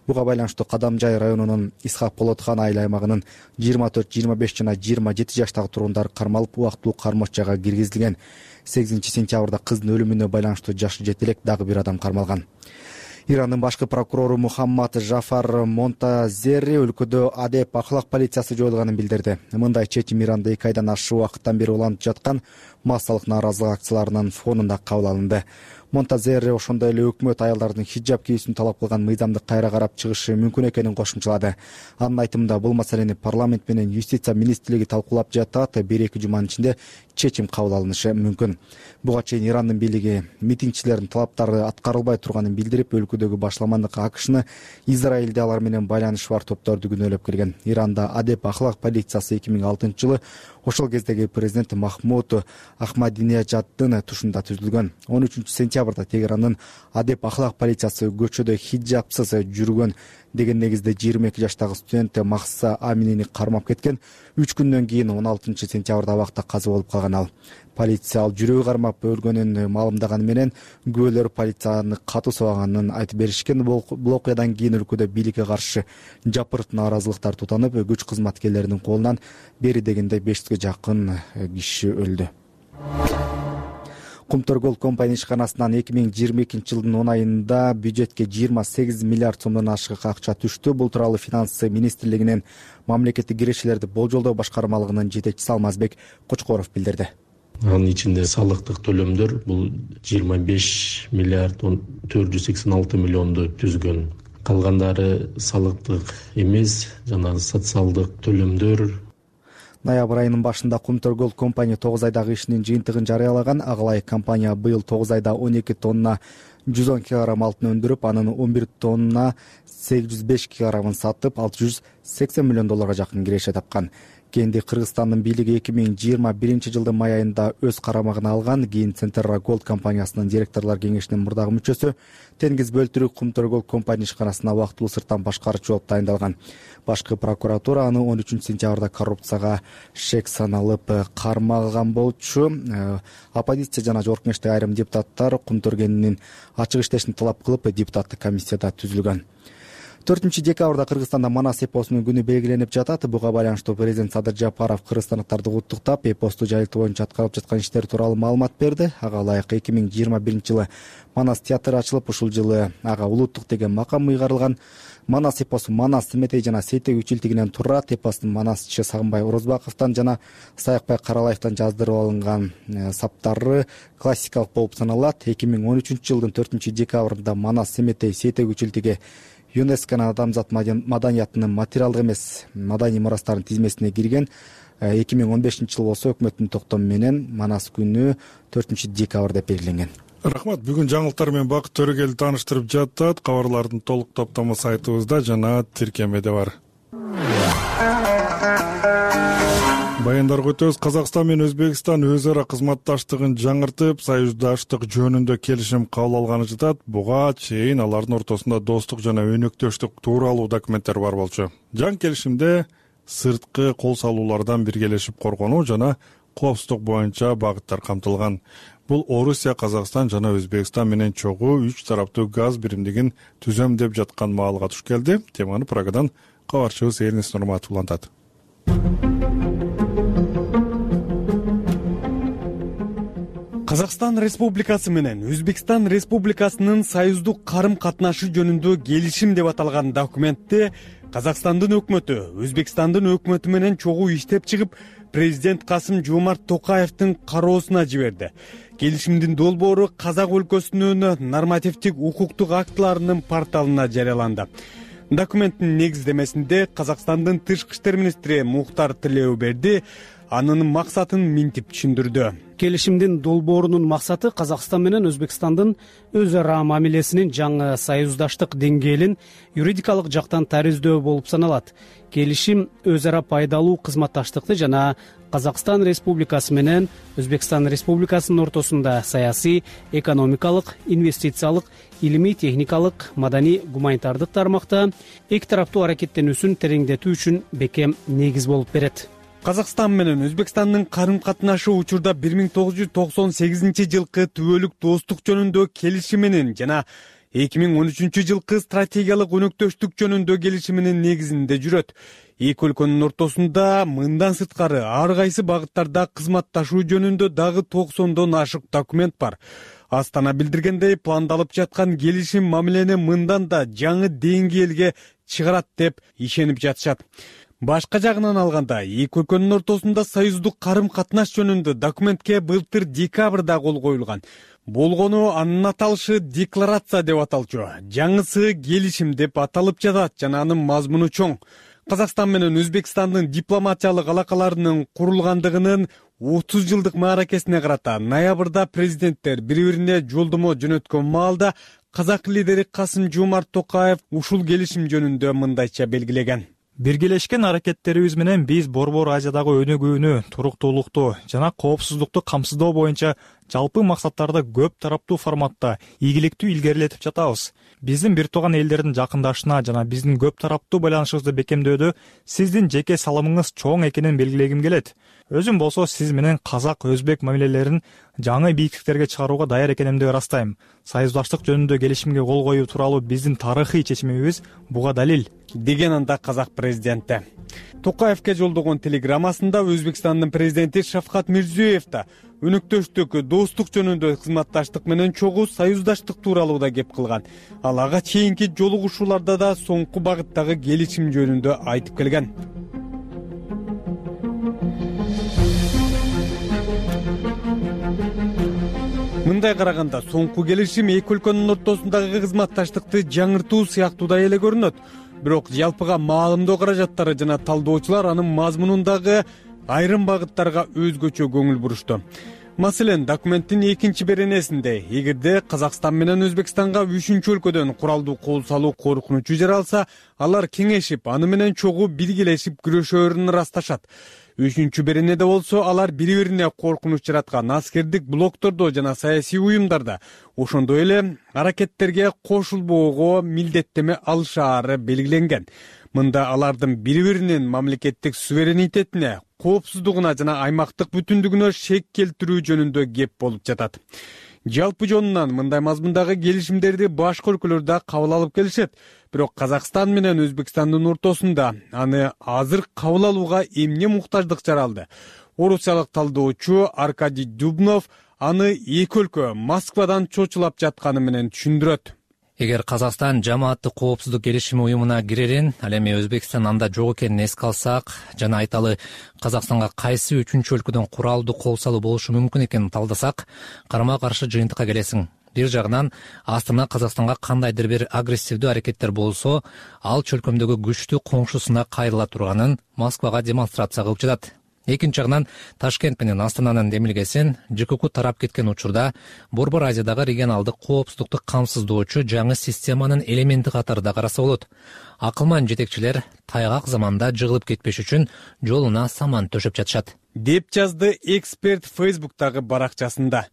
Буга байланыштуу Кадамжай районунун Исхак Болотхан айыл аймагынын 24, 25 жана 27 жаштагы тургундары кармалып, убактылуу кармош жайга киргизилген. 8-сентябрда кыздын өлүмүнө байланыштуу жаш жетелек дагы бир адам кармалган. Ирандын башкы прокурору Мухаммад Жафар Монтазери өлкөдө адеп ахлак полициясы жоюлганын билдирди. Мындай чечим Иранда 2 айдан ашык убакыттан бери уланып жаткан массалык нааразылык акцияларынын фонунда кабыл алынды. Монтазери ошондой эле өкмөт аялдардын хиджаб кийүүсүн талап кылган мыйзамды кайра карап чыгышы мүмкүн экенин кошумчалады. Анын айтымында бул маселени парламент менен юстиция министрлиги талкуулап жатат. 1-2 жуманын ичинде чечим кабыл алынышы мүмкүн. Буга чейин Ирандын бийлиги митингчилердин талаптары аткарылбай турганын билдирип, өлкөдөгү башламандык АКШны Израилде алар менен байланышы бар топторду күнөөлөп келген. Иранда адеп ахлак полициясы 2006-жылы ошол кездеги президент Махмуд Ахмадинежаддын тушунда түзүлгөн. 13-сентябрда Тегерандын адеп ахлак полициясы көчөдө хиджабсыз жүргөн деген негизде 22 жаштагы студент Махса Аминини кармап кеткен. 3 күндөн кийин 16-сентябрда абакта каза болуп калган ал. Полиция ал жүрөгү кармап өлгөнүн маалымдаганы менен күбөлөр полицияны катуу сабаганын айтып беришкен. Бул окуядан кийин өлкөдө бийликке каршы жапырт нааразылыктар тутанып, күч кызматкерлеринин колунан бери дегенде 500ге жакын киши өлдү. Кумтөр компания ишканасынан 2022-жылдын 10 айында бюджетке 28 миллиард сомдон ашык акча түштү. Бул тууралуу Финансы министрлигинин мамлекеттик кирешелерди болжолдоо башкармалыгынын жетекчиси Алмазбек Кочкоров билдирди. Анын ичинде салыктык төлөмдөр бул 25 миллиард 486 миллионду түзгөн. Калгандары салыктык эмес жана социалдык төлөмдөр. Ноябрь айынын башында Кумтөр компания 9 айдагы ишинин жыйынтыгын жарыялаган. Агалай компания быйыл 9 айда 12 тонна 110 кг алтын өндүрүп, анын 11 тонна 805 кг сатып, $680 миллион жакын киреше тапкан. Кенди Кыргызстандын бийлиги 2021-жылдын май айында өз карамагына алган. Кийин Центерра Голд компаниясынын директорлор кеңешинин мурдагы мүчөсү, Теңиз Бөлтүрүк Кумтөр Голд компания ишканасына убактылуу сырттан башкарчу болуп тайындалган. Башкы прокуратура аны 13-сентябрда коррупцияга шек саналып кармалган болчу. Оппозиция жана жогорку кеңештеги айрым депутаттар Кумтөргенин ачык иштешин талап кылып, депутаттык комиссияда түзүлгөн. 4-декабрда Кыргызстанда Манас эпосунун күнү белгиленип жатат. Буга байланыштуу президент Садыр Жапаров кыргызстандыктарды куттуктап, эпосту жайылтуу боюнча аткарылып жаткан иштер тууралуу маалымат берди. Ага ылайык 2021-жылы Манас театры ачылып, ушул жылы ага улуттук деген макам ыйгарылган. Манас эпосу Манас Семетей жана Сейтек үчилтигинен турат. Эпостун Манасчы Сагынбай Орозбаковдон жана Саякбай Каралаевдон жаздырып алынган саптары классикалык болуп саналат. 2013-жылдын 4-декабрында Манас Семетей Сейтек үчилтиги ЮНЕСКОнун адамзат маданиятынын материалдык эмес маданий мурастарынын тизмесине кирген. 2015-жылы болсо өкмөттүн токтому менен Манас күнү 4-декабрь деп белгиленген. Рахмат. Бүгүн жаңылыктар менен Бакыт Төрөгел тааныштырып жатат. Кабарлардын толук топтому сайтыбызда жана тиркемеде бар. Баяндарга өтөбүз. Казакстан менен Өзбекстан өз ара кызматташтыгын жаңыртып, союздаштык жөнүндө келишим кабыл алганы жатат. Буга чейин алардын ортосунда достук жана өнөктөштүк тууралуу документтер бар болчу. Жаңы келишимде сырткы кол салуулардан биргелешип коргонуу жана коопсуздук боюнча багыттар камтылган. Бул Орусия, Казакстан жана Өзбекстан менен чогуу 3 тараптуу газ биримдигин түзөм деп жаткан маалга туш келди. Теманы Прагадан кабарчыбыз Элнис Нурматов улантат. Казакстан Республикасы менен Өзбекстан Республикасынын союздук карым-катнашы жөнүндө келишим деп аталган документти Казакстандын өкмөтү Өзбекстандын өкмөтү менен чогуу иштеп чыгып, президент Касым-Жомарт Токаевдин кароосуна жиберди. Келишимдин долбоору Казак өлкөсүнүн нормативдик укуктук актыларынын порталына жарыяланды. Документтин негиздемесинде Казакстандын тышкы иштер министри Мухтар Тилеуберди анын максатын минтип түшүндүрдү. Келишимдин долбоорунун максаты Казакстан менен Өзбекстандын өз ара мамилесинин жаңы союздаштык деңгээлин юридикалык жактан тариздөө болуп саналат. Келишим өз ара пайдалуу кызматташтыкты жана Казакстан Республикасы менен Өзбекстан Республикасынын ортосунда саясий, экономикалык, инвестициялык, илимий, техникалык, маданий, гуманитардык тармакта эки тараптуу аракеттенүүсүн тереңдетүү үчүн бекем негиз болуп берет. Казакстан менен Өзбекстандын карым-катнашы учурда 1998-жылкы түбөлүк достук жөнүндө келишиминин жана 2013-жылкы стратегиялык өнөктөштүк жөнүндө келишиминин негизинде жүрөт. Эки өлкөнүн ортосунда мындан сырткары ар кайсы багыттарда кызматташуу жөнүндө дагы 90дон ашык документ бар. Астана билдиргендей, пландалып жаткан келишим мамилени мындан да жаңы деңгээлге чыгарат деп ишенип жатышат. Башка жагынан алганда, эки өлкөнүн ортосунда союздук карым-катнаш жөнүндө документке былтыр декабрда кол коюлган. Болгону анын аталышы декларация деп аталчу. Жаңысы келишим деп аталып жатат жана анын мазмуну чоң. Казакстан менен Өзбекстандын дипломатиялык алакаларынын курулгандыгынын 30 жылдык мааракесине карата ноябрда президенттер бири-бирине жолдомо жөнөткөн маалда казак лидери Касым-Жомарт Токаев ушул келишим жөнүндө мындайча белгилеген. Биргелешкен аракеттерибиз менен биз Борбор Азиядагы өнүгүүнү, туруктуулукту жана коопсуздукту камсыздоо боюнча жалпы максаттарды көп тараптуу форматта ийгиликтүү илгерилетип жатабыз. Биздин бир тууган элдердин жакындашына жана биздин көп тараптуу байланышыбызды бекемдөөдө сиздин жеке салымыңыз чоң экенин белгилегим келет. Өзүм болсо сиз менен казак-өзбек мамилелерин жаңы бийиктиктерге чыгарууга даяр экенимди ырастайм. Союздаштык жөнүндө келишимге кол коюу тууралуу биздин тарыхый чечимибиз буга далил, деген анда казак президенти. Токаевке жолдогон телеграммасында Өзбекстандын президенти Шавкат Мирзиёев да өнөктөштүк достук жөнүндө кызматташтык менен чогуу союздаштык тууралуу да кеп кылган. Ал ага чейинки жолугушууларда да соңку багыттагы келишим жөнүндө айтып келген. Мындай караганда соңку келишим эки өлкөнүн ортосундагы кызматташтыкты жаңыртуу сыяктуудай эле көрүнөт. Бирок жалпыга маалымдоо каражаттары жана талдоочулар анын мазмунундагы айрым багыттарга өзгөчө көңүл бурушту. Маселен, документтин экинчи беренесинде эгерде Казакстан менен Өзбекстанга үчүнчү өлкөдөн куралдуу кол салуу коркунучу жаралса, алар кеңешип, аны менен чогуу биргелешип күрөшөөрүн ырасташат. Үчүнчү беренеде болсо, алар бири-бирине коркунуч жараткан аскердик блоктордо жана саясий уюмдарда, ошондой эле аракеттерге кошулбоого милдеттеме алышаары белгиленген. Мында алардын бири-биринин мамлекеттик суверенитетине, коопсуздугуна жана аймактык бүтүндүгүнө шек келтирүү жөнүндө кеп болуп жатат. Жалпы жонунан мындай мазмундагы келишимдерди башка өлкөлөр да кабыл алып келишет. Бирок Казакстан менен Өзбекстандын ортосунда аны азыр кабыл алууга эмне муктаждык жаралды? Орусиялык талдоочу Аркадий Дубнов аны эки өлкө Москвадан чочулап жатканы менен түшүндүрөт. Эгер Казакстан жамааттык коопсуздук келишими уюмуна кирерин, ал эми Өзбекстан анда жок экенин эске алсак жана айталы Казакстанга кайсы үчүнчү өлкөдөн куралдуу кол салуу болушу мүмкүн экенин талдасак, карама каршы жыйынтыкка келесиң. Бир жагынан Астана Казакстанга кандайдыр бир агрессивдүү аракеттер болсо, ал чөлкөмдөгү күчтүү коңшусуна кайрыла турганын Москвага демонстрация кылып жатат. Экинчи жагынан Ташкент менен Астананын демилгесин ЖКК тарап кеткен учурда Борбор Азиядагы регионалдык коопсуздукту камсыздоочу жаңы системанын элементи катарында караса болот. Акылман жетекчилер тайгак заманда жыгылып кетпеш үчүн жолуна саман төшөп жатышат, деп жазды эксперт Facebook'тагы баракчасында.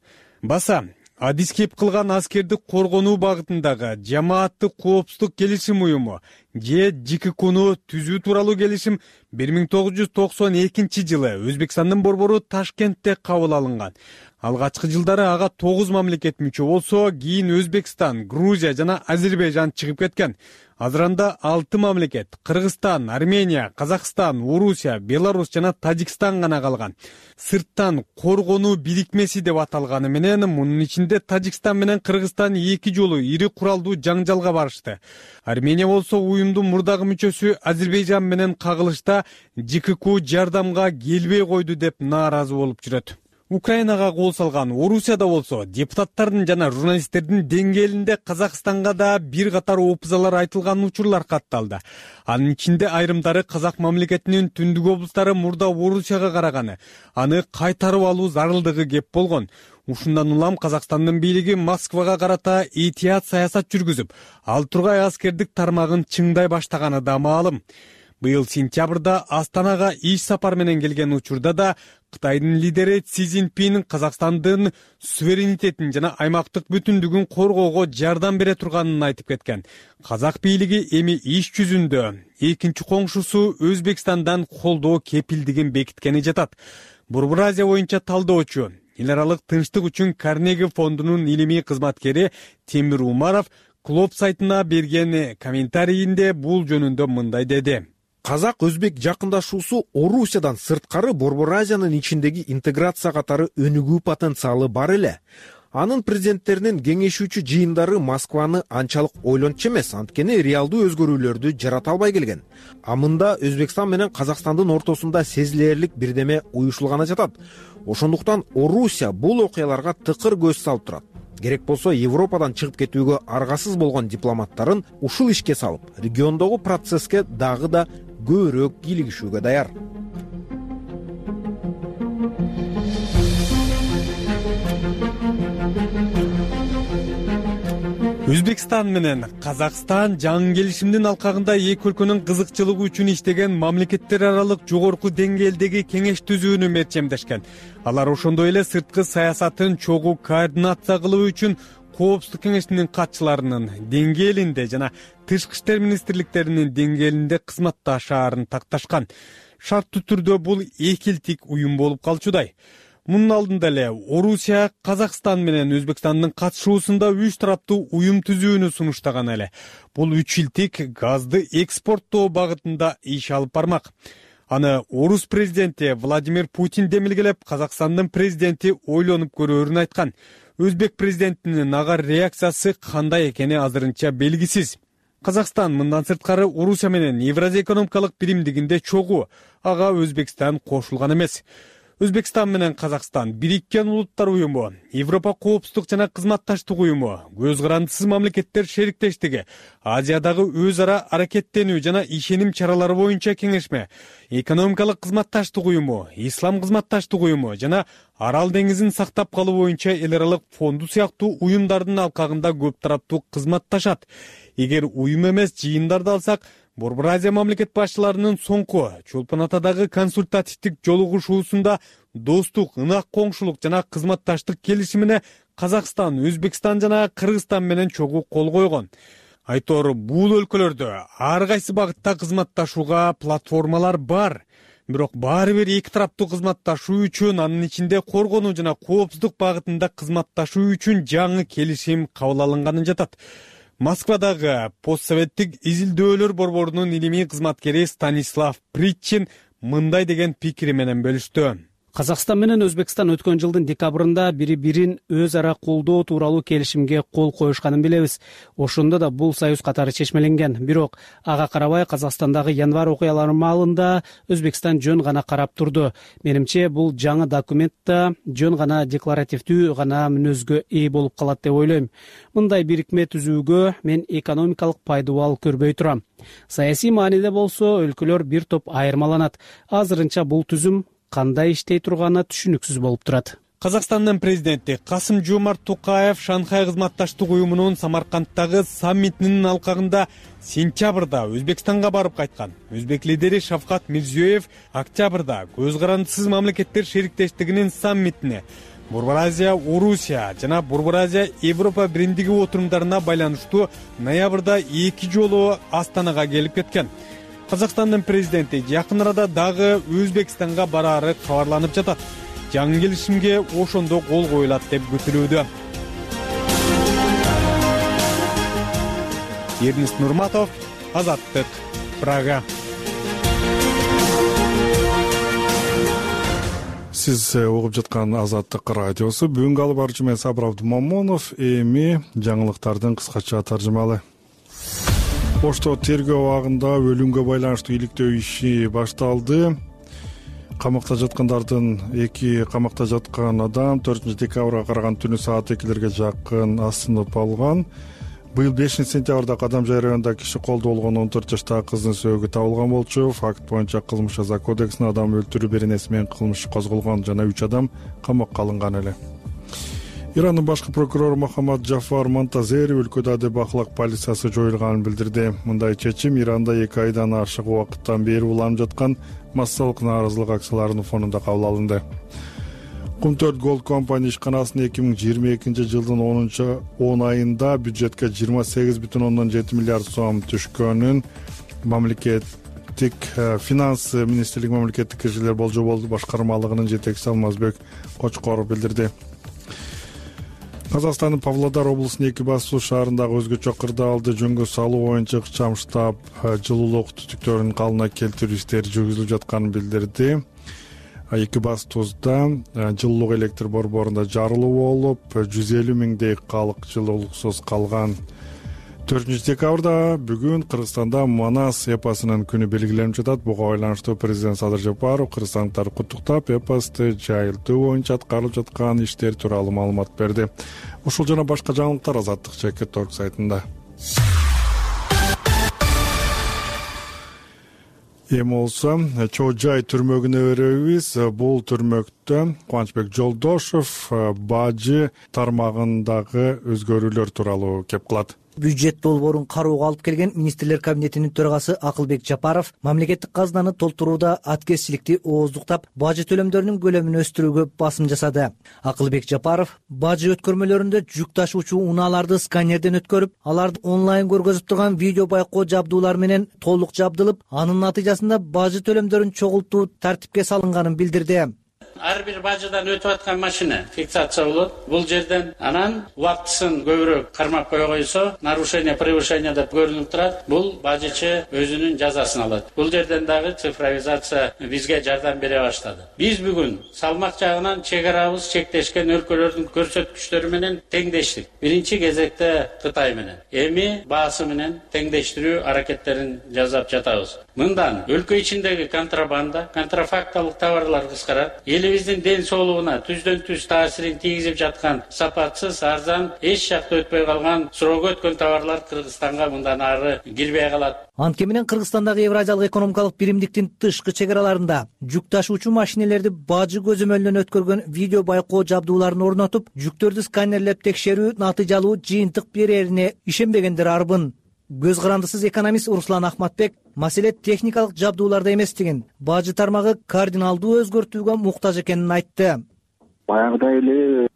Баса адис кеп кылган аскерди коргонуу багытындагы жамааттык коопсуздук келишим уюму же ЖККну түзүү тууралуу келишим 1992 жылы Өзбекстандын борбору Ташкентте кабыл алынган. Алгачкы жылдары ага 9 мамлекет мүчө болсо, кийин Өзбекстан, Грузия жана Азербайжан чыгып кеткен. Азыр анда 6 мамлекет — Кыргызстан, Армения, Казакстан, Орусия, Беларусь жана Тажикстан гана калган. Сырттан коргонуу бирикмеси деп аталганы менен, мунун ичинде Тажикстан менен Кыргызстан эки жолу ири куралдуу жаңжалга барышты. Армения болсо уюмдун мурдагы мүчөсү Азербайжан менен кагылышта ЖКК жардамга келбей койду деп нааразы болуп жүрөт. Украинага кол салган Орусияда болсо, депутаттардын жана журналисттердин деңгээлинде Казакстанга да бир катар опузалар айтылган учурлар катталды. Анын ичинде айрымдары Казак мамлекетинин түндүк облустары мурда Орусияга караганы, аны кайтарып алуу зарылдыгы кеп болгон. Ушундан улам Казакстандын бийлиги Москвага карата этият саясат жүргүзүп, ал тургай аскердик тармагын чыңдай баштаганы да маалым. Быйыл сентябрда Астанага иш сапар менен келген учурда да Кытайдын лидери Си Цзиньпин Казакстандын суверенитетин жана аймактык бүтүндүгүн коргоого жардам бере турганын айтып кеткен. Казак бийлиги эми иш жүзүндө экинчи коңшусу Өзбекстандан колдоо кепилдигин бекиткени жатат. Борбор Азия боюнча талдоочу, эл аралык тынчтык үчүн Карнеги фондунун илимий кызматкери Темир Умаров Клоп сайтына берген комментарийинде бул жөнүндө мындай деди. Казак-өзбек жакындашуусу Орусиядан сырткары Борбор Азиянын ичиндеги интеграция катары өнүгүү потенциалы бар эле. Анын президенттеринин кеңешүүчү жыйындары Москваны анчалык ойлончу эмес, анткени реалдуу өзгөрүүлөрдү жарата албай келген. А мында Өзбекстан менен Казакстандын ортосунда сезилерлик бирдеме уюшулганы жатат. Ошондуктан Орусия бул окуяларга тыкыр көз салып турат. Керек болсо Европадан чыгып кетүүгө аргасыз болгон дипломаттарын ушул ишке салып, региондогу процесске дагы да көбүрөөк кийлигишүүгө даяр. Өзбекстан менен Казакстан жаңы келишимдин алкагында эки өлкөнүн кызыкчылыгы үчүн иштеген мамлекеттер аралык жогорку деңгээлдеги кеңеш түзүүнү мерчемдешкен. Алар ошондой эле сырткы саясатын чогуу координация кылуу үчүн Коопсуздук кеңешинин катчыларынын деңгээлинде жана тышкы иштер министрликтеринин деңгээлинде кызматташаарын такташкан. Шарттуу түрдө бул экилтик уюм болуп калчудай. Мунун алдында эле Орусия Казакстан менен Өзбекстандын катышуусунда 3 тараптуу уюм түзүүнү сунуштаган эле. Бул 3 илтик газды экспорттоо багытында иш алып бармак. Аны Орус президенти Владимир Путин демилгелеп, Казакстандын президенти ойлонуп көрөөрүн айткан. Өзбек президентинин ага реакциясы кандай экени азырынча белгисиз. Казакстан мындан сырткары Орусия менен Евразия экономикалык биримдигинде чогуу, ага Өзбекстан кошулган эмес. Өзбекстан менен Казакстан, Бириккен Улуттар уюму, Европа коопсуздук жана кызматташтык уюму, көз карандысыз мамлекеттер шериктештиги, Азиядагы өз ара аракеттенүү жана ишеним чаралары боюнча кеңешме, экономикалык кызматташтык уюму, ислам кызматташтык уюму жана Арал деңизин сактап калуу боюнча эл аралык фонду сыяктуу уюмдардын алкагында көп тараптуу кызматташат. Эгер уюм эмес жыйындарды алсак, Борбор Азия мамлекет башчыларынын соңку Чолпон Атадагы консультативдик жолугушуусунда достук, ынак коңшулук жана кызматташтык келишимине Казакстан, Өзбекстан жана Кыргызстан менен чогуу кол койгон. Айтору, бул өлкөлөрдө ар кайсы багытта кызматташууга платформалар бар. Бирок баары бир эки тараптуу кызматташуу үчүн, анын ичинде коргонуу жана коопсуздук багытында кызматташуу үчүн жаңы келишим кабыл алынганы жатат. Москвадагы постсоветтик изилдөөлөр борборунун илимий кызматкери Станислав Притчин мындай деген пикири менен бөлүштү. Казакстан менен Өзбекстан өткөн жылдын декабрында бири-бирин өз ара колдоо тууралуу келишимге кол коюшканын билебиз. Ошондо да бул союз катары чечмеленген. Бирок ага карабай Казакстандагы январь окуялары маалында Өзбекстан жөн гана карап турду. Менимче бул жаңы документ да жөн гана декларативдүү гана мүнөзгө ээ болуп калат деп ойлойм. Мындай бирикме түзүүгө мен экономикалык пайдабал көрбөй турам. Саясий мааниде болсо өлкөлөр бир топ айырмаланат. Азырынча бул түзүм кандай иштей турганы түшүнүксүз болуп турат. Казакстандын президенти Касым-Жомарт Токаев Шанхай кызматташтык уюмунун Самаркандтагы саммитинин алкагында сентябрда Өзбекстанга барып кайткан. Өзбек лидери Шавкат Мирзиёев октябрда көз карандысыз мамлекеттер шериктештигинин саммитине Борбор Азия Орусия жана Борбор Азия Европа биримдиги отурумдарына байланыштуу ноябрда 2 жолу Астанага келип кеткен. Казакстандын президенти жакын арада дагы Өзбекстанга бараары кабарланып жатат. Жаңы келишимге ошондо кол коюлат деп күтүлүүдө. Эрнест Нурматов, Азаттык, Прага. Сиз угуп жаткан Азаттык радиосу. Бүгүнкү алып баруучу мен Сабыр Абдумамонов. Эми жаңылыктардын кыскача таржымалы. Ошто тергөө абагында өлүмгө байланыштуу иликтөө иши башталды. Камакта жаткан адам 4-декабрга караган түнү саат 2-лерге жакын асынып алган. Быйыл 5-сентябрда Кадамжай районунда киши колдо болгон 14 жаштагы кыздын сөөгү табылган болчу. Факт боюнча кылмыш жаза кодексине адам өлтүрүү беренеси менен кылмыш козголгон жана 3 адам камакка алынган эле. Ирандын башкы прокурору Мохаммад Джафар Монтазери өлкөдө адеп ахлак полициясы жоюлганын билдирди. Мындай чечим Иранда 2 айдан ашык убакыттан бери уланып жаткан массалык нааразылык акцияларынын фонунда кабыл алынды. Кум4 Gold Company ишканасынын 2022 жылдын 10 айында бюджетке 28,7 миллиард сом түшкөнүн мамлекеттик финанс министрлиги мамлекеттик киржелер болжол башкармалыгынын жетекчиси Алмазбек Кочкоров билдирди. Казакстандын Павлодар облусунун Экибастуу шаарындагы өзгөчө кырдаалды жөнгө салуу боюнча ыкчам штаб жылуулук түтүктөрүн калыбына келтирүү иштери жүргүзүлүп жатканын билдирди. Экибастууда жылуулук электр борборунда жарылуу болуп, 150 миңдей калк жылуулуксуз калган. 4-декабрда бүгүн Кыргызстанда Манас эпосунун күнү белгиленип жатат. Буга байланыштуу президент Садыр Жапаров кыргызстандыктарды куттуктап, эпосты жайылтуу боюнча аткарылып жаткан иштер тууралуу маалымат берди. Ушул жана башка жаңылыктар Азаттык Чекит.org сайтында. Эми болсо Чоо Жай түрмөгүнө беребиз. Бул түрмөктө Кубанычбек Жолдошов бажы тармагындагы өзгөрүүлөр тууралуу кеп кылат. Бюджет долбоорун кароого алып келген министрлер кабинетинин төрагасы Акылбек Жапаров мамлекеттик казынаны толтурууда аткезчиликти ооздуктап, бажы төлөмдөрүнүн көлөмүн өстүрүүгө басым жасады. Акылбек Жапаров бажы өткөрмөлөрүндө жүк ташуучу унааларды сканерден өткөрүп, аларды онлайн көргөзүп турган видео байкоо жабдуулар менен толук жабдылып, анын натыйжасында бажы төлөмдөрүн чогултуу тартипке салынганын билдирди. Ар бир бажыдан өтүп аткан машина фиксация болот. Бул жерден анан убактысын көбүрөөк кармап кое койсо, нарушение, превышение деп көрүнүп турат. Бул бажычы өзүнүн жазасын алат. Бул жерден дагы цифровизация бизге жардам бере баштады. Биз бүгүн салмак жагынан чек арабыз чектешкен өлкөлөрдүн көрсөткүчтөрү менен теңдештик. Биринчи кезекте Кытай менен. Эми баасы менен теңдештирүү аракеттерин жасап жатабыз. Мындан өлкө ичиндеги контрабанда, контрафакталык товарлар кыскарат. Эл элибиздин ден соолугуна түздөн түз таасирин тийгизип жаткан сапатсыз, арзан, эч жакта өтпөй калган, суроого өткөн товарлар Кыргызстанга мындан ары кирбей калат. Анткени менен Кыргызстандагы Евразиялык экономикалык биримдиктин тышкы чегараларында жүк ташуучу машинелерди бажы көзөмөлүнөн өткөргөн видео байкоо жабдууларын орнотуп, жүктөрдү сканерлеп текшерүү натыйжалуу жыйынтык берерине ишенбегендер арбын. Көз карандысыз экономист Руслан Ахматбек маселе техникалык жабдууларда эместигин, бажы тармагы кардиналдуу өзгөртүүгө муктаж экенин айтты. Баягыдай эле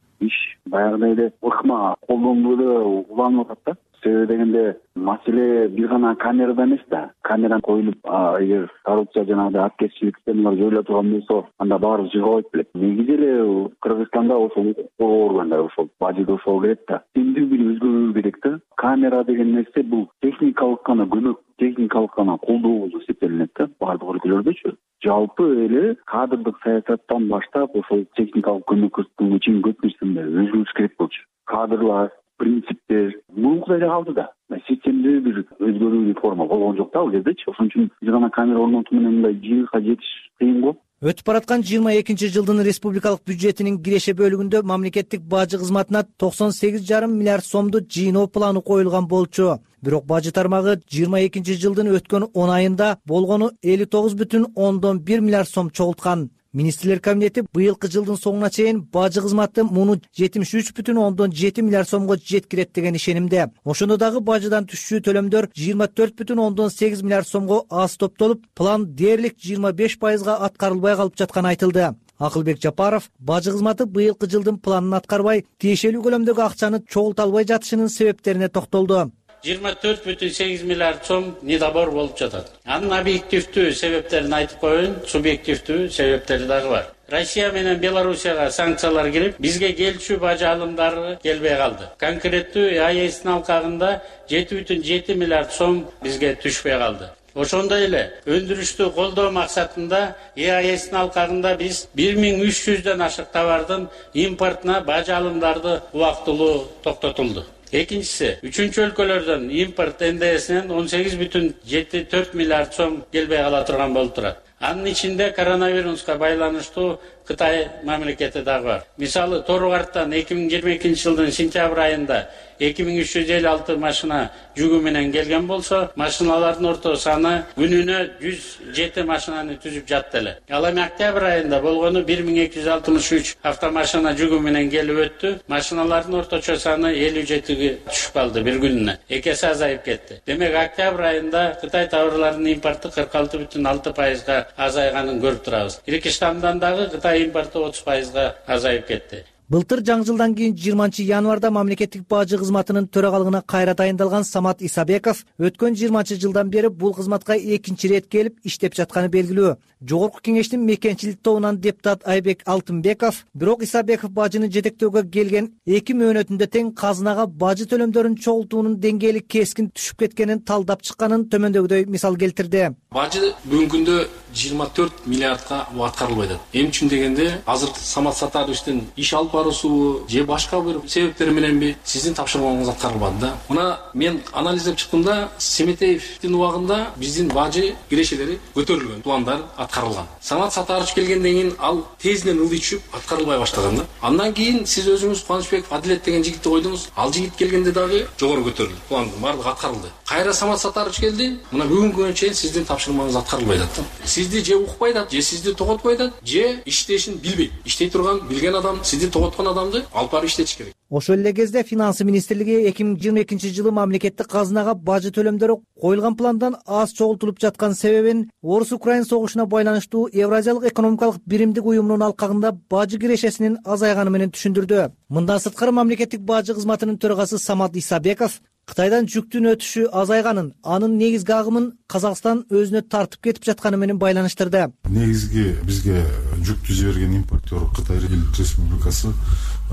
баягыдай эле ыкма колдонуууда уланып атат да. Себеби дегенде маселе бир гана камерада эмес да. Камера коюлуп, эгер коррупция жанагындай аткезчилик системалар жоюла турган болсо, анда баары жыгабайт белет. Негизи эле Кыргызстанда ошол органдар ошол бажыда ошол керек да. Тиндүү бир өзгөрүү керек да. Камера деген нерсе бул техникалык гана көмөк, техникалык гана колдоо болуп эсептелинет да баардык өлкөлөрдөчү. Жалпы эле кадрдык саясаттан баштап ошол техникалык көмөк көрсөткөнгө чейин көп нерседе өзгөрүш керек болчу. Кадрлар, принциптер мурункудай эле калды да. Системдүү бир өзгөрүү реформа болгон жок да ал кездечи. Ошон үчүн бир гана камера орнотуу менен мындай жыйынтыкка жетиш кыйын го. Өтүп бараткан 22-жылдын республикалык бюджетинин киреше бөлүгүндө мамлекеттик бажы кызматына 98,5 миллиард сомду жыйноо планы коюлган болчу. Бирок бажы тармагы 22-жылдын өткөн 10 айында болгону 59,1 миллиард сом чогулткан. Министрлер кабинети быйылкы жылдын соңуна чейин бажы кызматы муну 73,7 миллиард сомго жеткирет деген ишенимде. Ошондо дагы бажыдан түшчү төлөмдөр 24,8 миллиард сомго аз топтолуп, план дээрлик 25% аткарылбай калып жатканы айтылды. Акылбек Жапаров бажы кызматы быйылкы жылдын планын аткарбай, тиешелүү көлөмдөгү акчаны чогулта албай жатышынын себептерине токтолду. 24,8 миллиард сом недобор болуп жатат. Анын объективдүү себептерин айтып коеюн, субъективдүү себептери дагы бар. Россия менен Белоруссияга санкциялар кирип, бизге келчү бажы алымдары келбей калды. Конкреттүү АЭСтин алкагында 7,7 миллиард сом бизге түшпөй калды. Ошондой эле өндүрүштү колдоо максатында АЭСтин алкагында биз 1300дөн ашык товардын импортуна бажы алымдарды убактылуу токтотулду. Экинчиси, үчүнчү өлкөлөрдөн импорт НДСинен 18,74 миллиард сом келбей кала турган болуп турат. Анын ичинде коронавируска байланыштуу Кытай мамлекети дагы бар. Мисалы, Тору-Карттан 2022 жылдын сентябрь айында 2356 машина жүгү менен келген болсо, машиналардын орто саны күнүнө 107 машинаны түзүп жатты эле. Ал эми октябрь айында болгону 1263 автомашина жүгү менен келип өттү. Машиналардын орточо саны 57ге түшүп калды бир күнүнө. Эки эсе азайып кетти. Демек, октябрь айында Кытай товарларынын импорту 46,6%га азайганын көрүп турабыз. Кыргызстандан дагы Кытай импорту 30%га азайып кетти. Былтыр жаңы жылдан кийин 20-январда мамлекеттик бажы кызматынын төрагалыгына кайра тайындалган Самат Исабеков өткөн 20 жылдан бери бул кызматка экинчи рет келип иштеп жатканы белгилүү. Жогорку кеңештин мекенчилик тобунан депутат Айбек Алтынбеков, бирок Исабеков бажыны жетектөөгө келген 2 мөөнөтүндө тең казынага бажы төлөмдөрүн чогултуунун деңгээли кескин түшүп кеткенин талдап чыкканын төмөндөгүдөй мисал келтирди. Бажы бүгүнкү күндө 24 миллиардка аткарылбай атат. Эмне үчүн дегенде, азыр Самат Сатаровичтин иш алып баруусу же башка бир себептер мененби сиздин тапшырмаңыз аткарылбады да. Мына мен анализдеп чыктымда, Семетеевдин убагында биздин бажы кирешелери көтөрүлгөн, пландар аткарылган. Самат Сатарович келгенден кийин ал тезинен ылдый түшүп аткарылбай баштаган да. Андан кийин сиз өзүңүз Кубанычбеков Адилет деген жигитти койдуңуз. Ал жигит келгенде дагы жогору көтөрүлдү. Пландын баардыгы аткарылды. Кайра Самат Сатарович келди. Мына бүгүнкү күнгө чейин сиздин тапшырмаңыз аткарылбай атат. Сизди же укпай атат, же сизди тоготпой атат, же иштешин билбейт. Иштей турган, билген адам, сизди тоготкон адамды алып барып иштетиш керек. Ошол эле кезде Финансы министрлиги 2022 жылы мамлекеттик казынага бажы төлөмдөрү коюлган пландан аз чогултулуп жаткан себебин Орус-Украин согушуна байланыштуу Евразиялык экономикалык биримдик уюмунун алкагында бажы кирешесинин азайганы менен түшүндүрдү. Мындан сырткары мамлекеттик бажы кызматынын төрагасы Самат Исабеков Кытайдан жүктүн өтүшү азайганын, анын негизги агымын Казакстан өзүнө тартып кетип жатканы менен байланыштырды. Негизги бизге жүктү жиберген импортер Кытай Республикасы.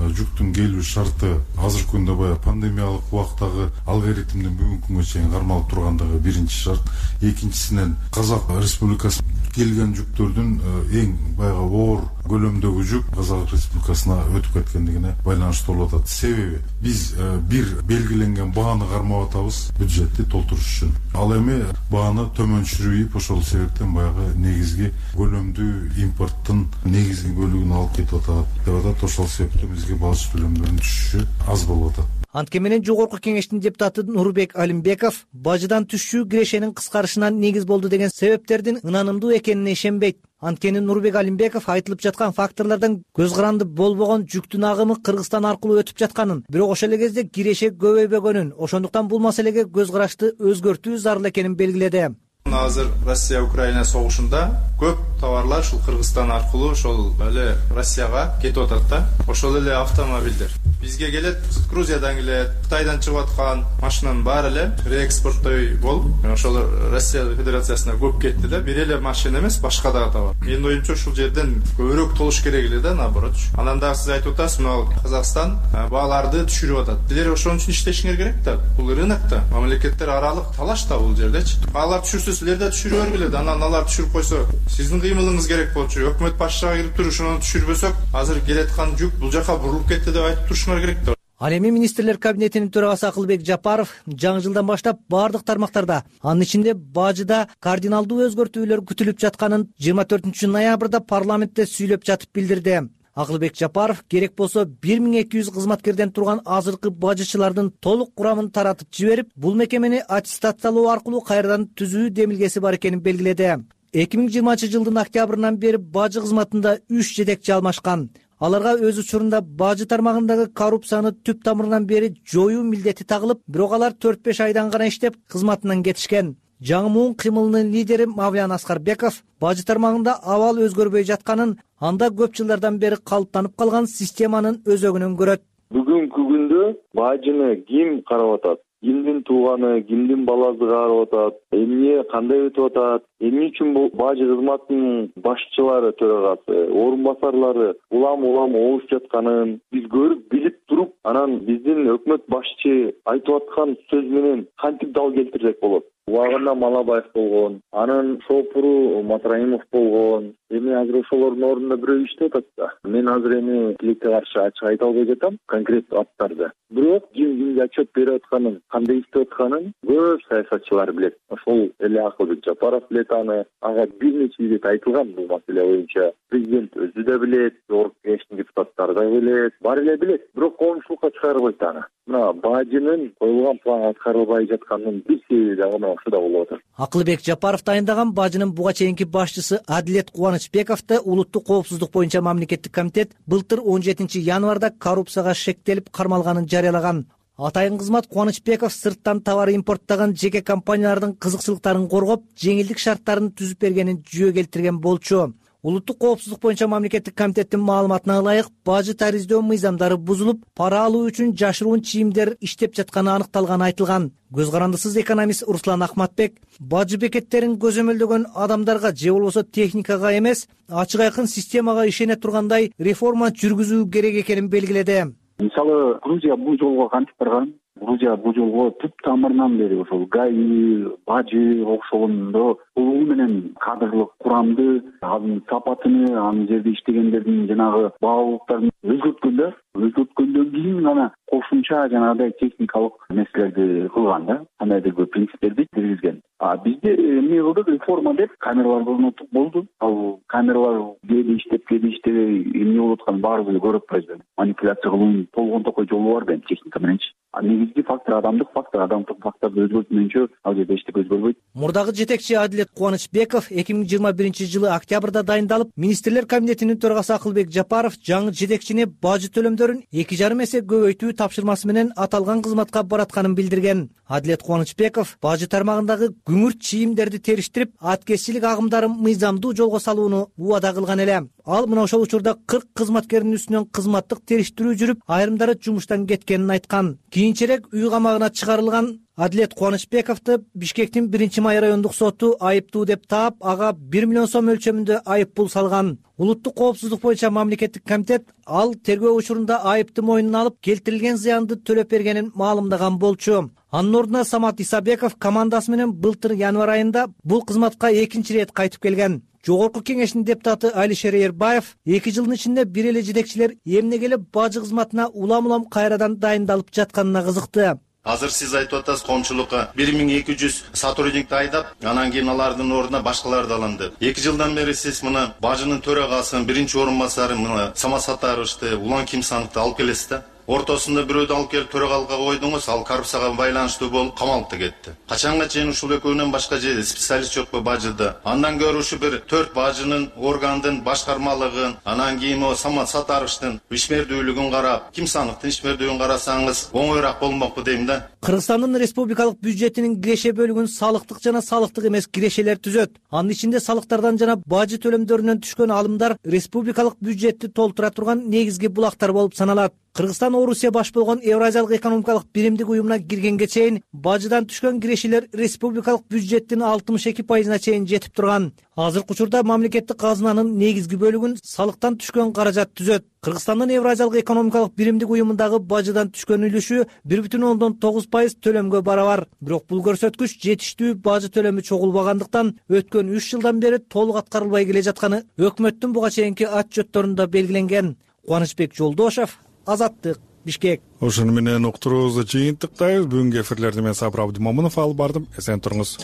Жүктүн келүү шарты азыркы күндө баягы пандемиялык убактагы алгоритмдин бүгүнкү күнгө чейин кармалып тургандыгы биринчи шарт. Экинчисинен Казак Республикасы келген жүктөрдүн эң баягы оор көлөмдөгү жүк Казак Республикасына өтүп кеткендигине байланыштуу болуп атат. Себеби биз бир белгиленген бааны кармап атабыз бюджетти толтуруш үчүн. Ал эми бааны төмөн түшүрүп, ошол себептен баягы негизги көлөмдүү импорттун негизги бөлүгүн алып кетип атат деп атат. Ошол себептен бизге бажы төлөмдөрүнүн түшүшү аз болуп атат. Анткени Жогорку Кеңештин депутаты Нурбек Алимбеков бажыдан түшүү кирешенин кыскарышына негиз болду деген себептердин ынанымдуу экенине ишенбейт. Анткени Нурбек Алимбеков айтылып жаткан факторлордон көз каранды болбогон жүктүн агымы Кыргызстан аркылуу өтүп жатканын, бирок ошол эле кезде киреше көбөйбөгөнүн, ошондуктан бул маселеге көз карашты өзгөртүү зарыл экенин белгиледи. Азыр Россия Украина согушунда көп товарлар ушул Кыргызстан аркылуу ошол эле Россияга кетип атат да. Ошол эле автомобилдер бизге келет, Грузиядан келет, Кытайдан чыгып аткан машинанын баары эле реэкспорттой болуп, ошол Россия Федерациясына көп кетти да. Бир эле машина эмес, башка дагы товар. Менин оюмча ушул жерден көбүрөөк толуш керек эле да, наоборот. Анан дагы сиз айтып атасыз, мына Казакстан бааларды түшүрүп атат. Силер ошон үчүн иштешиңер керек да. Бул рынок да, мамлекеттер аралык талаш да бул жердечи. Алар түшүрсө силер да түшүрө бергиле. Анан алар түшүрүп койсо, сиздин кыймылыңыз керек болчу. Өкмөт башчыга кирип туруп ошону түшүрбөсөк, азыр келаткан жүк бул жака бурулуп кетти деп айтып турушуңар керек да. Ал эми министрлер кабинетинин төрагасы Акылбек Жапаров жаңы жылдан баштап бардык тармактарда, анын ичинде бажыда кардиналдуу өзгөртүүлөр күтүлүп жатканын 24 ноябрда парламентте сүйлөп жатып билдирди. Акылбек Жапаров керек болсо 1200 кызматкерден турган азыркы бажычылардын толук курамын таратып жиберип, бул мекемени аттестациялоо аркылуу кайрадан түзүү демилгеси бар экенин белгиледи. 2020-жылдын октябрынан бери бажы кызматында 3 жетекчи алмашкан. Аларга өз учурунда бажы тармагындагы коррупцияны түп тамырынан бери жоюу милдети тагылып, бирок алар 4-5 айдан гана иштеп кызматынан кетишкен. Жаңы муун кыймылынын лидери Мавлян Аскарбеков бажы тармагында абал өзгөрбөй жатканын, анда көп жылдардан бери калыптанып калган системанын өзөгүнөн көрөт. Бүгүнкү күндө бажыны ким карап атат? Кимдин тууганы, кимдин баласы карап атат? Эмне кандай өтүп атат? Эмне үчүн бул бажы кызматынын башчылары, төрагасы, орун басарлары улам оозуп жатканын биз көрүп, билип туруп, анан биздин өкмөт башчы айтып аткан сөз менен кантип дал келтирсек болот? Убагында Малабаев болгон, анын шопуру Матраимов болгон. Эми азыр ошолордун ордунда бирөө иштеп атат да. Мен азыр эми тилекке каршы ачык айта албай жатам конкреттүү аттарды. Бирок кимге отчет берип атканын, кандай иштеп атканын көп саясатчылар билет. Ошол эле Акылбек Жапаров билет аны. Ага бир нече ирет айтылган бул маселе боюнча. Президент өзү да билет, Жогорку Кеңештин депутаттары да билет, баары эле билет. Бирок коомчулукка чыгарбайт аны. Мына бажынын коюлган план аткарылбай жатканынын бир себеби дагы ошо да болуп атат. Акылбек Жапаров дайындаган бажынын буга чейинки башчысы Адилет Кубанычбековду улуттук коопсуздук боюнча мамлекеттик комитет былтыр 17 январда коррупцияга шектелип кармалганын жарыялаган. Атайын кызмат Кубанычбеков сырттан товар импорттогон жеке компаниялардын кызыкчылыктарын коргоп, жеңилдик шарттарын түзүп бергенин жүйө келтирген болчу. Улуттук коопсуздук боюнча мамлекеттик комитеттин маалыматына ылайык, бажы тариздөө мыйзамдары бузулуп, пара алуу үчүн жашыруун чийимдер иштеп жатканы аныкталганы айтылган. Көз карандысыз экономист Руслан Ахматбек бажы бекеттерин көзөмөлдөгөн адамдарга же болбосо техникага эмес, ачык айкын системага ишене тургандай реформа жүргүзүү керек экенин белгиледи. Мисалы, Грузия бул жолго кантип барган? Грузия бул жолго түп тамырынан бери ошол ГАИ, бажы ошондо толугу менен кадрлык курамды, анын сапатыны, анын жерде иштегендердин жанагы баалуулуктарын өзгөрткөндөн кийин гана кошумча жанагыдай техникалык нерселерди кылган да, кандайдыр принциптерди киргизген. Бизде эмне кылдык, реформа деп камераларды орнотуп болду. Ал камералар кээде иштеп, кээде иштебей, эмне болуп атканын баарыбыз эле көрүп атпайбызбы? Манипуляция кылуунун болгон токой жолу бар да техника мененчи. Негизги фактор адамдык факторду өзгөртмөйүнчө ал жерде эчтеке өзгөрбөйт. Мурдагы жетекчи Адилет Кубанычбеков 2021-жылы октябрда дайындалып, министрлер кабинетинин төрагасы Акылбек Жапаров жаңы жетекчини бажы төлөмдөрүн 2,5 эсе көбөйтүү тапшырмасы менен аталган кызматка баратканын билдирген. Адилет Кубанычбеков бажы тармагындагы күңүрт чийимдерди териштирип, аткезчилик агымдарын мыйзамдуу жолго салууну убада кылган эле. Ал мына ошол учурда 40 кызматкердин үстүнөн кызматтык териштирүү жүрүп, айрымдары жумуштан кеткенин айткан. Кийинчерээк үй камагына чыгарылган Адилет Кубанычбековду Бишкектин 1-май райондук соту айыптуу деп таап, ага 1 миллион сом өлчөмүндө айып пул салган. Улуттук коопсуздук боюнча мамлекеттик комитет ал тергөө учурунда айыпты мойнуна алып, келтирилген зыянды төлөп бергенин маалымдаган болчу. Анын ордуна Самат Исабеков командасы менен былтыр январь айында бул кызматка экинчи ирет кайтып келген. Жогорку кеңештин депутаты Алишер Эрбаев 2 жылдын ичинде бир эле жетекчилер эмнеге эле бажы кызматына улам кайрадан дайындалып жатканына кызыкты. Азыр сиз айтып атасыз, коомчулукка 1200 сотрудникти айдап, анан кийин алардын ордуна башкаларды алынды. 2 жылдан бери сиз мына бажынын төрагасын, биринчи орун басары мына Самат Сатаровичти, Улан Кимсановду алып келесиз да. Ортосунда бирөөдү алып келип төрагалыкка койдуңуз, ал коррупцияга байланыштуу болуп камалып кетти. Качанга чейин ушул экөөнөн башка специалист жокпу бажыда? Андан көрө ушу бир 4 бажынын органдын башкармалыгын, анан кийин Самат Сатаровичтин ишмердүүлүгүн карап, Кимсановдун ишмердүүлүгүн карасаңыз оңоюраак болмокпу дейм да. Кыргызстандын республикалык бюджетинин киреше бөлүгүн салыктык жана салыктык эмес кирешелер түзөт. Анын ичинде салыктардан жана бажы төлөмдөрүнөн түшкөн алымдар республикалык бюджетти толтура турган негизги булактар болуп саналат. Кыргызстан Орусия баш болгон Евразиялык экономикалык биримдик уюмуна киргенге чейин бажыдан түшкөн кирешелер республикалык бюджеттин 62%-на чейин жетип турган. Азыркы учурда мамлекеттик казынанын негизги бөлүгүн салыктан түшкөн каражат түзөт. Кыргызстандын Евразиялык экономикалык биримдик уюмундагы бажыдан түшкөн үлүшү 1,9% төлөмгө барабар. Бирок бул көрсөткүч жетиштүү бажы төлөмү чогулбагандыктан өткөн 3 жылдан бери толук аткарылбай келе жатканы өкмөттүн буга чейинки отчетторунда белгиленген. Кубанычбек Жолдошов, Азаттык, Бишкек. Ошону менен уктуруубузду жыйынтыктайбыз. Бүгүнкү эфирлерди мен Сабыр Абдымомунов алып бардым. Эсен туруңуз.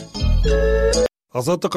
Азаттык